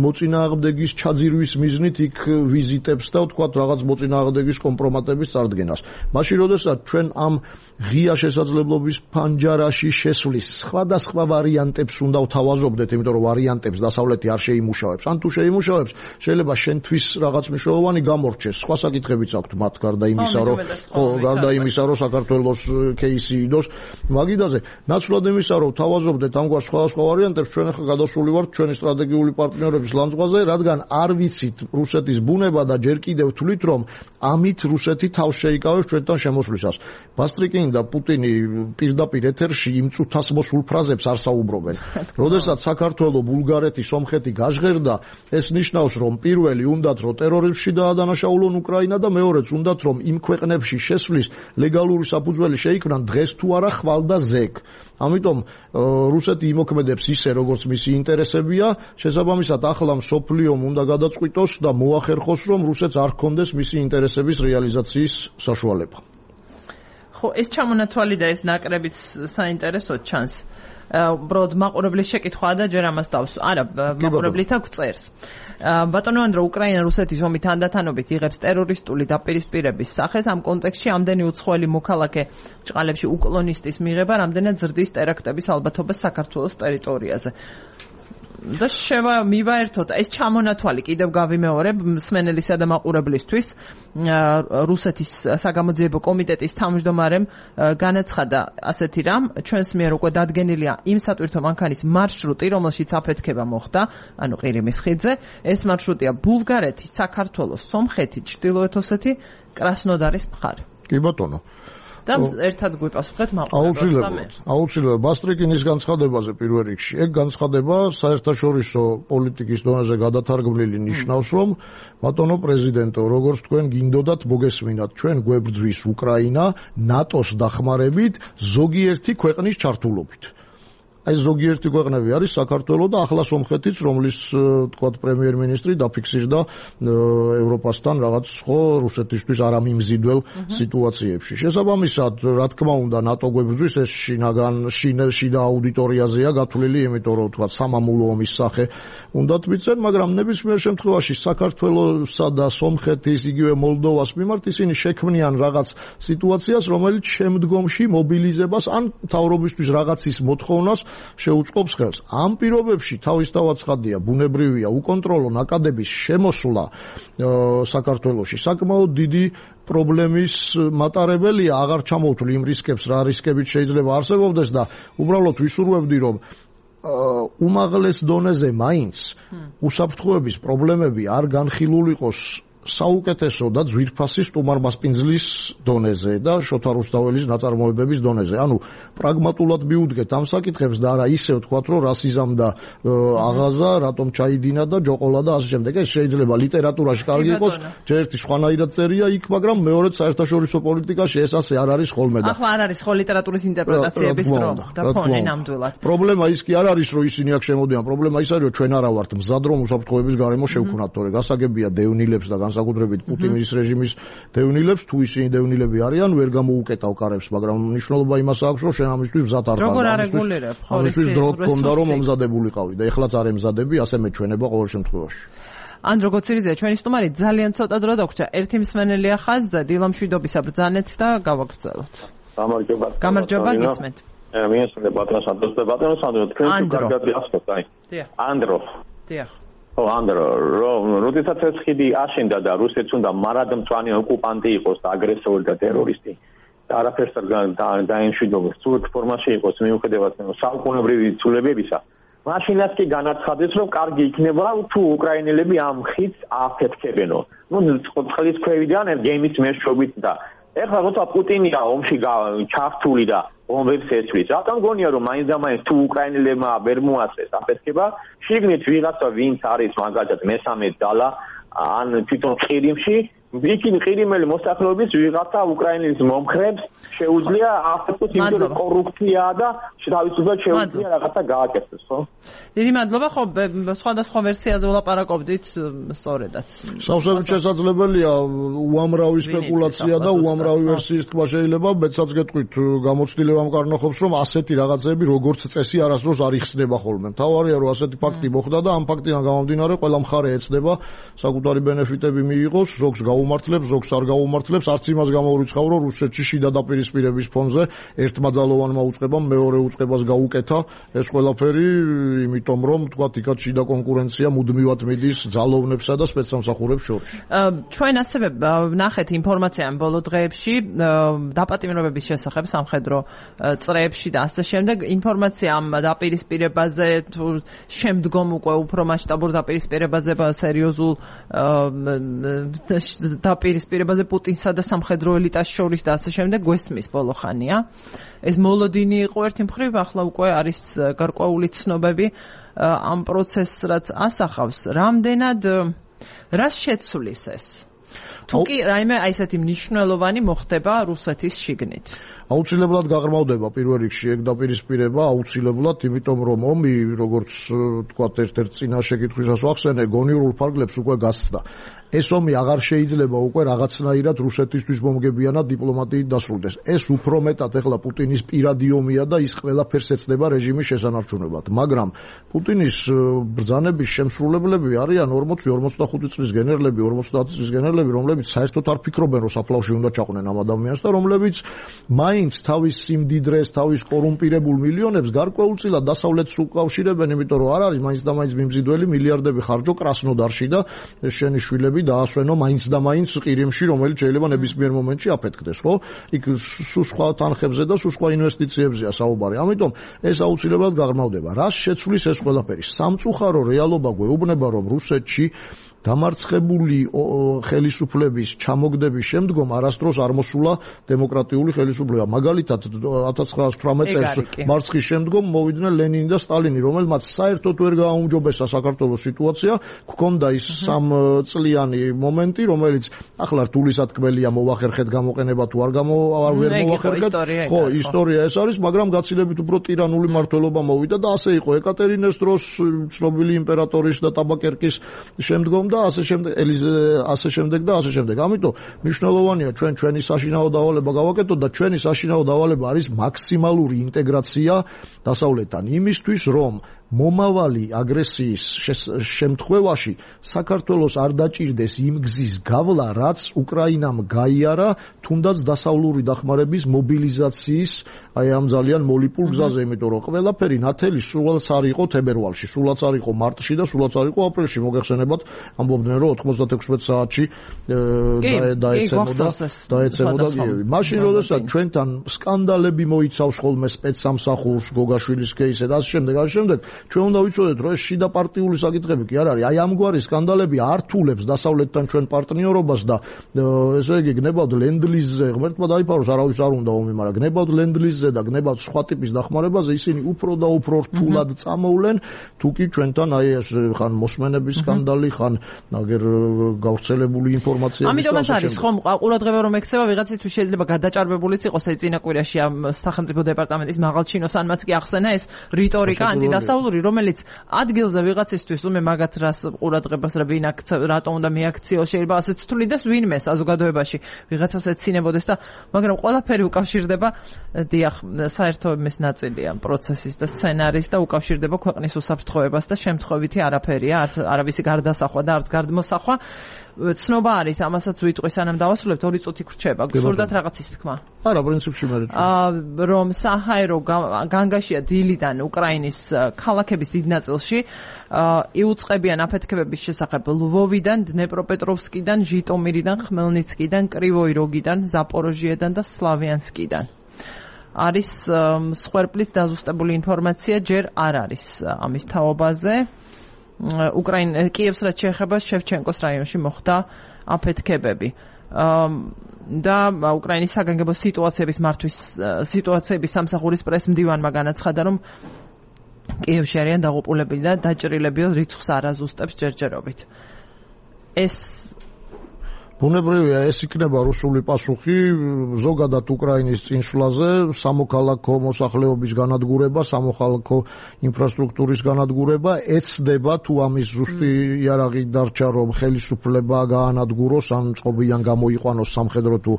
C: მოწინააღმდეგის ჩაძირვის მიზნით იქ ვიზიტებს და თქვათ რაღაც მოწინააღმდეგის კომპრომატების წარდგენას. მაშინ როდესაც ჩვენ ამ ღია შესაძლებლობის ფანჯარაში შესვლის სხვადასხვა ვარიანტებს უნდა ვთავაზობდეთ, იმიტომ რომ ვარიანტებს დასავლეთი არ შეიმუშავებს. ან თუ შეიმუშავებს, შეიძლება შენთვის რაღაც მნიშვნელოვანი გამორჩეს. სხვა საკითხებიც აქვთ მათ გარდა იმისა, რომ ხო, გარდა იმისა, რომ საქართველოს кейსი იდოს მაგიდაზე. ნაცვლად იმისა, რომ თავაზობდეთ ამგვარ სხვადასხვა ვარიანტებს, ჩვენ ახლა გადასული ვართ ჩვენი სტრატეგიული პარტნიორების ლანძღვაზე, რადგან არ ვიცით რუსეთის ბუნება და ჯერ კიდევ თვლით, რომ ამით რუსეთი თავს შეიკავებს ჩვენთან შემოსვლისას. ბასტრიკინი და პუტინი პირდაპირ ეთერში იმ წუთას მოსულ ფრაზებს არ საუბრობენ. როდესაც საქართველო, ბულგარეთი, სომხეთი გაჟღერდა, ეს ნიშნავს, რომ პირველი უნდათ რომ ტერორიზმში დაადანაშაულონ უკრაინა და მეორეც უნდათ რომ იმ ქვეყნებში შესვლის ლეგალური საფუძველი შეიქმნან დღეს თუ არა ხვალ და ზეგ. ამიტომ რუსეთი იმოქმედებს ისე, როგორც მისი ინტერესებია, შესაბამისად ახლა მსოფლიომ უნდა გადაწყვიტოს და მოახერხოს, რომ რუსეთს არ ჰქონდეს მისი ინტერესების რეალიზაციის საშუალება.
A: ხო, ეს ჩამონათვალი და ეს ნაკრებიც საინტერესოდ ჩანს. უბრალოდ მაყურებლის შეკითხვაა და ჯერ ამას დავს. არა, მაყურებლის აქვს წერს. ბატონო ანდრო, უკრაინა რუსეთის ომი თანდათანობით იღებს ტერორისტული დაპირისპირების სახეს. ამ კონტექსტში ამდენი უცხოელი მოქალაქე ჭყალებში უკლონისტის მიღება რამდენად ზრდის ტერაქტების ალბათობას საქართველოს ტერიტორიაზე. და შევა მივაერთოთ ეს ჩამონათვალი კიდევ გავიმეორებ მსმენელისა და მაყურებლისთვის. რუსეთის საგამოძიებო კომიტეტის თავმჯდომარემ განაცხადა ასეთი რამ, ჩვენს მიერ უკვე დადგენილია იმ სატვირთო მანქანის მარშრუტი, რომელშიც აფეთქება მოხდა, ანუ ყირიმის ხიდზე. ეს მარშრუტია ბულგარეთი, საქართველო, სომხეთი, ჩრდილოეთ ოსეთი, კრასნოდარის მხარე.
C: კი ბატონო.
A: და ერთად გვიპასუხეთ მაყურებელს.
C: აუცილებლად ბასტრიკინის განცხადებაზე პირველ რიგში. ეგ განცხადება საერთაშორისო პოლიტიკის დონეზე გადათარგმნილი ნიშნავს, რომ ბატონო პრეზიდენტო, როგორც თქვენ გინდოდათ მოგესმინათ, ჩვენ გვებრძვის უკრაინა ნატოს დახმარებით ზოგიერთი ქვეყნის ჩართულობით. აი ზოგიერთი ქვეყნები არის საქართველო და ახლა სომხეთიც, რომლის თქვათ პრემიერ-მინისტრი დაფიქსირდა ევროპასთან რაღაც ხო რუსეთისთვის არამიმზიდველ სიტუაციებში. შესაბამისად, რა თქმა უნდა, ნატო გვებრძვის, ეს შინაგან შიდა აუდიტორიაზეა გათვლილი, იმიტომ რომ თქვათ სამამულო ომის სახე უნდათ მიცენ, მაგრამ ნებისმიერ შემთხვევაში საქართველოსა და სომხეთის, იგივე მოლდოვას მიმართ ისინი შექმნიან რაღაც სიტუაციას, რომელიც შემდგომში მობილიზებას ან მთავრობისთვის რაღაცის მოთხოვნას შეუწყობს ხელს. ამ პირობებში თავისთავად ცხადია, ბუნებრივია უკონტროლო ნაკადების შემოსვლა საქართველოში საკმაოდ დიდი პრობლემის მატარებელია, აღარ ჩამოვთვლი იმ რისკებს, რა რისკებიც შეიძლება არსებობდეს და უბრალოდ ვისურვებდი, რომ უმაღლეს დონეზე მაინც უსაფრთხოების პრობლემები არ განხილულიყოს საუკეთესო და ძვირფასი სტუმარმასპინძლის დონეზე და შოთა რუსთაველის ნაწარმოებების დონეზე. ანუ პრაგმატულად მიუდგეთ ამ საკითხებს და არა ისე ვთქვათ, რომ რასიზამ და აღაზა, რატომ ჩაიდინა და ჯოყოლა და ასე შემდეგ. ეს შეიძლება ლიტერატურაში კარგი იყოს, ჯერ ერთი სხვანაირად წერია იქ, მაგრამ მეორედ საერთაშორისო პოლიტიკაში ეს ასე არ არის ხოლმე და.
A: ახლა არ არის ხო ლიტერატურის ინტერპრეტაციების დრო და ფონი ნამდვილად.
C: პრობლემა ის კი არ არის, რომ ისინი აქ შემოდიან. პრობლემა ის არის, რომ ჩვენ არა ვართ მზად, რომ უსაფრთხოების გარემო შევქმნათ, თორე გასაგებია დევნილებს და საკუთრებით პუტინის რეჟიმის დევნილებს, თუ ისინი დევნილები არიან, ვერ გამოუკეტავ კარებს, მაგრამ მნიშვნელობა იმას აქვს, რომ შენ ამისთვის მზად არ ხარ.
A: როგორ არეგულირებ?
C: ამისთვის დრო გქონდა, რომ მომზადებულიყავი და ეხლაც არ ემზადები, ასე მეჩვენება ყოველ შემთხვევაში.
A: ანდრო გოცირიძე, ჩვენი სტუმარი ძალიან ცოტა დრო დაგვრჩა. ერთი მსმენელია ხაზზე, დილამშვიდობისა ბრძანეთ და გავაგრძელოთ.
F: გამარჯობა.
A: გამარჯობა, გისმენთ.
F: მიესწრება ბატონო სანდროს და ბატონო სანდრო, თქვენ თუ კარგად გახსოვთ, აი. ანდრო.
A: დიახ.
F: ო ანდრო, როდესაც ეს ხიდი აშენდა და რუსეთს უნდა მარადმწვანე ოკუპანტი იყოს და აგრესორი და ტერორისტი და არაფერს არ დაემშვიდობოს, სულ ფორმაში იყოს მიუხედავად საუკუნეობრივი ცვლილებებისა, მაშინაც კი განაცხადეს, რომ კარგი იქნება თუ უკრაინელები ამ ხიდს აფეთქებენო. ნუ წყლის ქვევიდან გემის მეშვეობით და ეხლა როცა პუტინია ომში ჩართული და ომებს ეცვლის, რატომ გონია რომ მაინც და მაინც თუ უკრაინელებმა ვერ მოაწეს აფეთქება, შიგნით ვიღაცა ვინც არის მაგალითად მესამე ძალა ან თვითონ ყირიმში იქნებ ყირიმელი მოსახლეობის ვიღაცა უკრაინის მომხრებს შეუძლია ახლა თვითონ კორუფციაა და თავისუფლად შეუძლია რაღაცა გააკეთოს, ხო?
A: დიდი მადლობა, ხო, სხვადასხვა ვერსიაზე ვლაპარაკობდით, სწორედაც.
C: სავსებით შესაძლებელია უამრავი სპეკულაცია და უამრავი ვერსიის თქვა შეიძლება, მეცაც გეტყვით, გამოცდილება მკარნახობს, რომ ასეთი რაღაცები როგორც წესი არასდროს არ იხსნება ხოლმე. მთავარია, რომ ასეთი ფაქტი მოხდა და ამ ფაქტიდან გამომდინარე ყველა მხარე ეცდება საკუთარი ბენეფიტები მიიღოს, ზოგს გაუმართლებს, ზოგს არ გაუმართლებს, არც იმას გამოურიცხავ, რომ რუსეთში შიდა დაპირისპირების ფონზე ერთმაძალოვანმა უწყებამ მეორე უწყებას გაუკეთა ეს ყველაფერი, იმიტომ რომ თქვა იქაც შიდა კონკურენცია მუდმივად მიდის ძალოვნებსა და სპეცსამსახურებს შორის.
A: ჩვენ ასევე ვნახეთ ინფორმაცია ამ ბოლო დღეებში დაპატიმრებების შესახებ სამხედრო წრეებში და ასე შემდეგ. ინფორმაცია ამ დაპირისპირებაზე თუ შემდგომ უკვე უფრო მასშტაბურ დაპირისპირებაზე, სერიოზულ დაპირისპირებაზე პუტინსა და სამხედრო ელიტას შორის და ასე შემდეგ გვესმის ბოლო ხანია. ეს მოლოდინი იყო ერთი მხრივ, ახლა უკვე არის გარკვეული ცნობები ამ პროცესს, რაც ასახავს. რამდენად რას შეცვლის ეს? თუ კი რაიმე აი ესეთი მნიშვნელოვანი მოხდება რუსეთის შიგნით.
C: აუცილებლად გაღრმავდება პირველ რიგში ეგ დაპირისპირება, აუცილებლად, იმიტომ რომ ომი, როგორც თქვა ერთ-ერთ წინა შეკითხვისას ვახსენე, გონივრულ ფარგლებს უკვე გასცდა. ეს ომი აღარ შეიძლება უკვე რაღაცნაირად რუსეთისთვის მომგებიანად დიპლომატიით დასრულდეს. ეს უფრო მეტად ეხლა პუტინის პირადი ომია და ის ყველაფერს ეცდება რეჟიმის შესანარჩუნებლად. მაგრამ პუტინის ბრძანების შემსრულებლები არიან ორმოცი ორმოცდახუთი წლის გენერლები, ორმოცდაათი წლის გენერლები, რომლებიც საერთოდ არ ფიქრობენ, რომ საფლავში უნდა ჩაყვნენ ამ ადამიანს და რომლებიც მაინც თავის სიმდიდრეს, თავის კორუმპირებულ მილიონებს გარკვეულწილად დასავლეთს უკავშირებენ, იმიტომ რომ არ არის მაინც და მაინც მიმზიდველი მილიარდები ხარჯო კრასნოდარში და შენი შვილები დაასვენო მაინც და მაინც ყირიმში, რომელიც შეიძლება ნებისმიერ მომენტში აფეთქდეს, ხო? იქ სულ სხვა თანხებზე და სულ სხვა ინვესტიციებზეა საუბარი. ამიტომ ეს აუცილებლად გაღრმავდება. რას შეცვლის ეს ყველაფერი? სამწუხარო რეალობა გვეუბნება, რომ რუსეთში დამარცხებული ხელისუფლების ჩამოგდების შემდგომ არასდროს არ მოსულა დემოკრატიული ხელისუფლება. მაგალითად ათას ცხრაას ოცდაოთხ წელს მარცხის შემდგომ მოვიდნენ ლენინი და სტალინი, რომელმაც საერთოდ ვერ გააუმჯობესა საქართველოს სიტუაცია, გქონდა ის სამწლიანი მომენტი, რომელიც ახლა რთულისათქმელია მოვახერხეთ გამოყენება თუ არ გამო არ ვერ მოვახერხეთ. ხო, ისტორია ეს არის, მაგრამ გაცილებით უფრო ტირანული მმართველობა მოვიდა და ასე იყო ეკატერინეს დროს, ცნობილი იმპერატორის და ტაბაკერკის შემდგომ და ასე შემდეგ, ასე შემდეგ და ასე შემდეგ. ამიტომ მნიშვნელოვანია ჩვენ ჩვენი საშინაო დავალება გავაკეთოთ და ჩვენი საშინაო დავალება არის მაქსიმალური ინტეგრაცია დასავლეთთან იმისთვის, რომ მომავალი აგრესიის შემთხვევაში საქართველოს არ დაჭირდეს იმ გზის გავლა, რაც უკრაინამ გაიარა, თუნდაც დასავლური დახმარების მობილიზაციის აი ამ ძალიან მოლიპულ გზაზე, იმიტომ რომ ყველაფერი ნათელი სულაც არ იყო თებერვალში, სულაც არ იყო მარტში და სულაც არ იყო აპრილში. მოგეხსენებათ, ამბობდნენ რომ ოთხმოცდათექვსმეტ საათში დაეცემოდა დაეცემოდა კიევი. მაშინ როდესაც ჩვენთან სკანდალები მოიცავს ხოლმე სპეცსამსახურს, გოგაშვილის кейსზე და ასე შემდეგ, ასე შემდეგ, ჩვენ უნდა ვიცოდეთ, რომ ეს შიდა პარტიული საკითხები კი არ არის. აი ამგვარი სკანდალები ართულებს დასავლეთთან ჩვენ პარტნიორობას და ესე იგი გნებავთ ლენდლიზზე, ღმერთმა დაიფაროს, არავის არ უნდა ომი, მაგრამ გნებავთ ლენდლიზზე და გნებავთ სხვა ტიპის დახმარებაზე, ისინი უფრო და უფრო რთულად წამოვლენ, თუ კი ჩვენთან აი ეს ხან მოსმენების სკანდალი, ხან აგერ გავრცელებული ინფორმაცია.
A: ამიტომაც არის ხომ ყურადღება რომ ექცევა ვიღაცისთვის შეიძლება გადაჭარბებულიც იყოს ეს წინა კვირაში ამ სახელმწიფო დეპარტამენტის მაღალჩინოსანმაც კი ახსენა ეს რიტორიკა ანტიდასავლური, რომელიც ადგილზე ვიღაცისთვის ումը მაგათ რას ყურადღებას რა ვინ აქცევ, რატომ უნდა მიაქციოს, შეიძლება ასეც თulides ვინმე საზოგადოებაში ვიღაცას ეცინებოდეს და მაგრამ ყველაფერი უკავშირდება დიახ საერთოების ნაწილია პროცესის და სცენარის და უკავშირდება ქვეყნის უსაფრთხოებას და შემთხვევითი არაფერია, არც არავისი გარდასახვა და არც გარდმოსახვა. ცნობა არის, ამასაც ვიტყვი სანამ დავასრულებთ, ორი წუთი გრჩება. გსურდათ რაღაცის თქმა?
C: არა, პრინციპში მე
A: რომ საჰაერო განგაშია დილიდან უკრაინის ქალაქების დიდ ნაწილში იუწყებიან აფეთქებების შესახებ ლვოვიდან, დნეპროპეტროვსკიდან, ჟიტომირიდან, ხმელნიცკიდან, კრივოი როგიდან, ზაპოროჟიედან და სლავიანსკიდან. არის სხერპლის დაზუსტებული ინფორმაცია, ჯერ არ არის ამის თაობაზე. უკრაინ კიევს რაც შეეხება შევჩენკოს რაიონში მოხდა აფეთქებები. და უკრაინის საგანგებო სიტუაციების მართვის სიტუაციების სამსახურის პრესმდივანმა განაცხადა, რომ კიევში არიან დაღუპულები და დაჭრილები რიცხვს არ აზუსტებს ჯერჯერობით. ეს
C: ბუნებრივია ეს იქნება რუსული პასუხი ზოგადად უკრაინის წინსვლაზე, სამოქალაქო მოსახლეობის განადგურება, სამოქალაქო ინფრასტრუქტურის განადგურება, ეცდება თუ ამის ზუსტი იარაღი დარჩა რომ ხელისუფლება გაანადგუროს ან წყობიან გამოიყვანოს სამხედრო თუ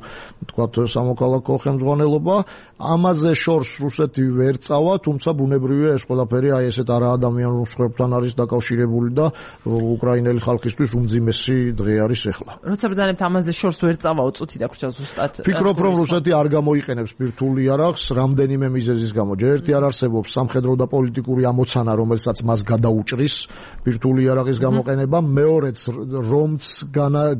C: თქვათ სამოქალაქო ხელმძღვანელობა, ამაზე შორს რუსეთი ვერ წავა, თუმცა ბუნებრივია ეს ყველაფერი აი ესეთ არაადამიანურ მსხვერპლთან არის დაკავშირებული და უკრაინელი ხალხისთვის უმძიმესი დღე არის ახლა.
A: როცა ბრძანებთ ამაზე შორს ვერ წავა უწუთი დაგვრჩა ზუსტად.
C: ფიქრობ რომ რუსეთი არ გამოიყენებს ბირთვულ იარაღს რამდენიმე მიზეზის გამო. ჯერ ერთი არ არსებობს სამხედრო და პოლიტიკური ამოცანა, რომელსაც მას გადაუჭრის ბირთვული იარაღის გამოყენება, მეორეც რომც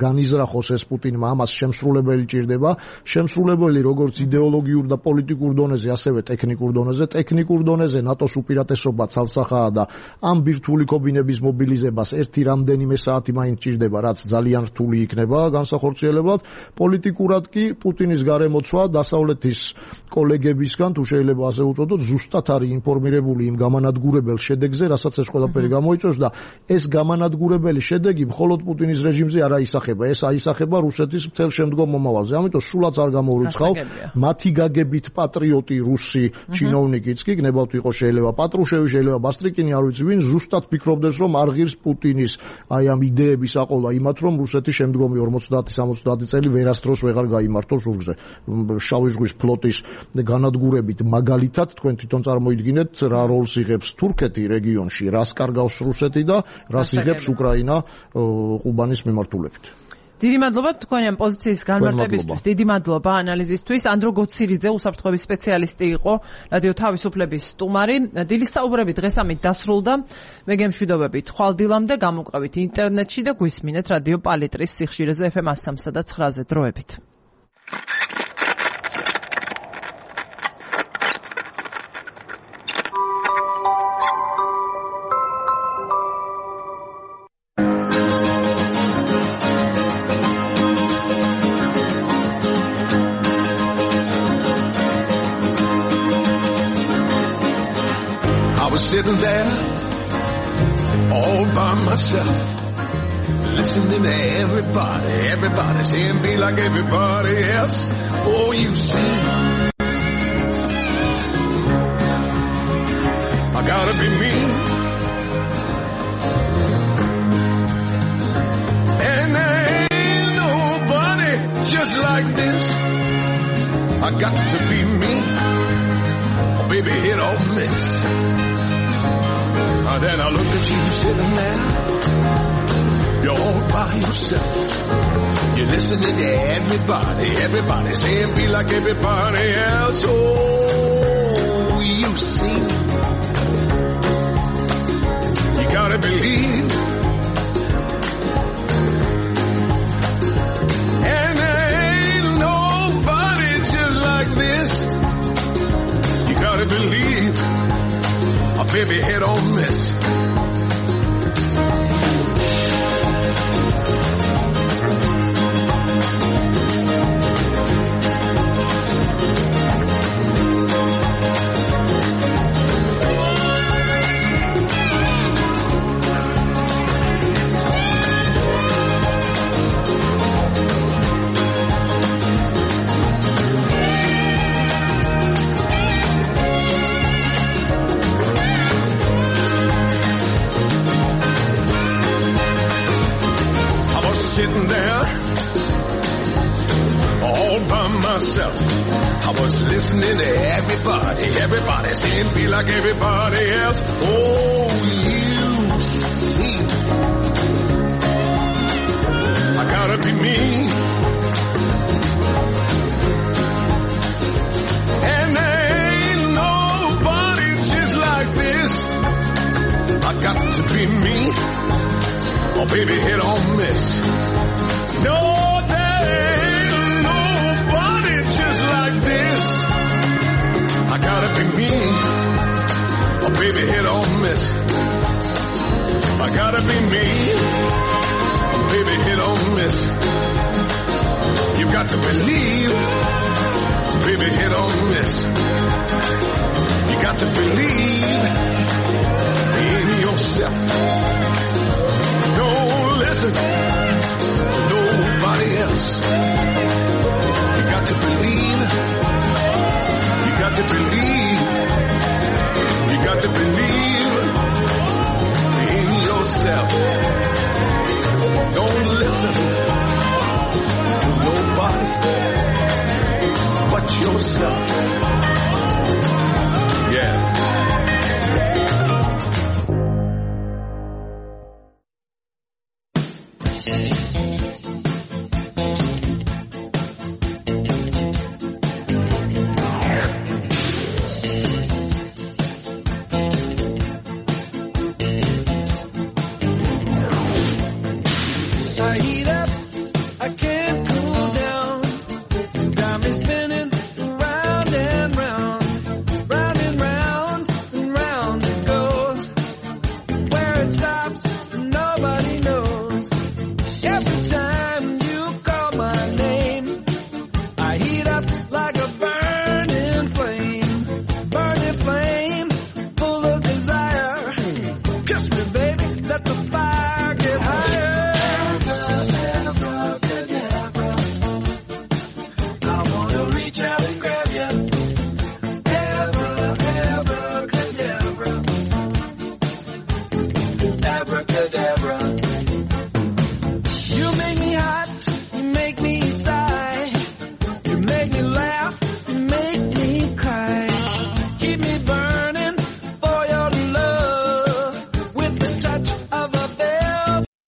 C: განიზრახოს ეს პუტინმა ამას შემსრულებელი ჭირდება, შემსრულებელი როგორც იდეოლოგიურ და პოლიტიკურ დონეზე, ასევე ტექნიკურ დონეზე, ტექნიკურ დონეზე ნატოს უპირატესობა ცალსახაა და ამ ბირთვული კობინების მობილიზებას ერთი რამდენიმე საათი მაინც ჭირდება, რაც ძალიან რთული იქნება განსახორციელებლად. პოლიტიკურად კი პუტინის გარემოცვა დასავლეთის კოლეგებისგან თუ შეიძლება ასე უწოდოთ, ზუსტად არის ინფორმირებული იმ გამანადგურებელ შედეგზე, რასაც ეს ყველაფერი გამოიწვევს და ეს გამანადგურებელი შედეგი მხოლოდ პუტინის რეჟიმზე არ აისახება, ეს აისახება რუსეთის მთელ შემდგომ მომავალზე. ამიტომ სულაც არ გამოურიცხავ, მათი გაგებით პატრიოტი რუსი ჩინოვნიკიც კი გნებავთ იყო შეიძლება პატრუშევი, შეიძლება ბასტრიკინი, არ ვიცი ვინ, ზუსტად ფიქრობდეს რომ არ ღირს პუტინის აი ამ იდეების აყოლა იმათ რომ რუსეთი შემდგომი ორმოცდაათი სამოცდაათი წელი ვერასდროს ვეღარ გაიმართოს ზურგზე. შავი ზღვის ფლოტის განადგურებით მაგალითად თქვენ თვითონ წარმოიდგინეთ რა როლს იღებს თურქეთი რეგიონში, რას კარგავს რუსეთი და რას იღებს უკრაინა ყუბანის მიმართულებით.
A: დიდი მადლობა თქვენი ამ პოზიციის განმარტებისთვის, დიდი მადლობა ანალიზისთვის. ანდრო გოცირიძე უსაფრთხოების სპეციალისტი იყო, რადიო თავისუფლების სტუმარი. დილის საუბრები დღეს ამით დასრულდა. მე გემშვიდობებით ხვალდილამდე, გამოვყავით ინტერნეტში და გვისმინეთ რადიო პალიტრის სიხშირეზე ეფ ემ სამსა და ცხრაზე. დროებით.
G: Sitting there all by myself, listening to everybody, everybody saying be like everybody else. Oh, you see, I gotta be me, and there ain't nobody just like this. I got to be me, oh, baby, hit or miss. And then I look at you sitting there, you're all by yourself. You're listening to everybody, everybody saying be like everybody else. Oh, you see, you gotta believe. And there ain't nobody just like this. You gotta believe. A baby hit or miss. Sitting there all by myself, I was listening to everybody, everybody saying be like everybody else. Oh, you see, I gotta be me, and there ain't nobody just like this. I got to be me, oh baby, hit or miss. No, there ain't nobody just like this. I gotta be me, oh baby, hit or miss. I gotta be me, oh baby, hit or miss. You got to believe, oh baby, hit or miss. You got to believe in yourself. Don't listen to nobody else. listen to nobody but yourself. Yeah.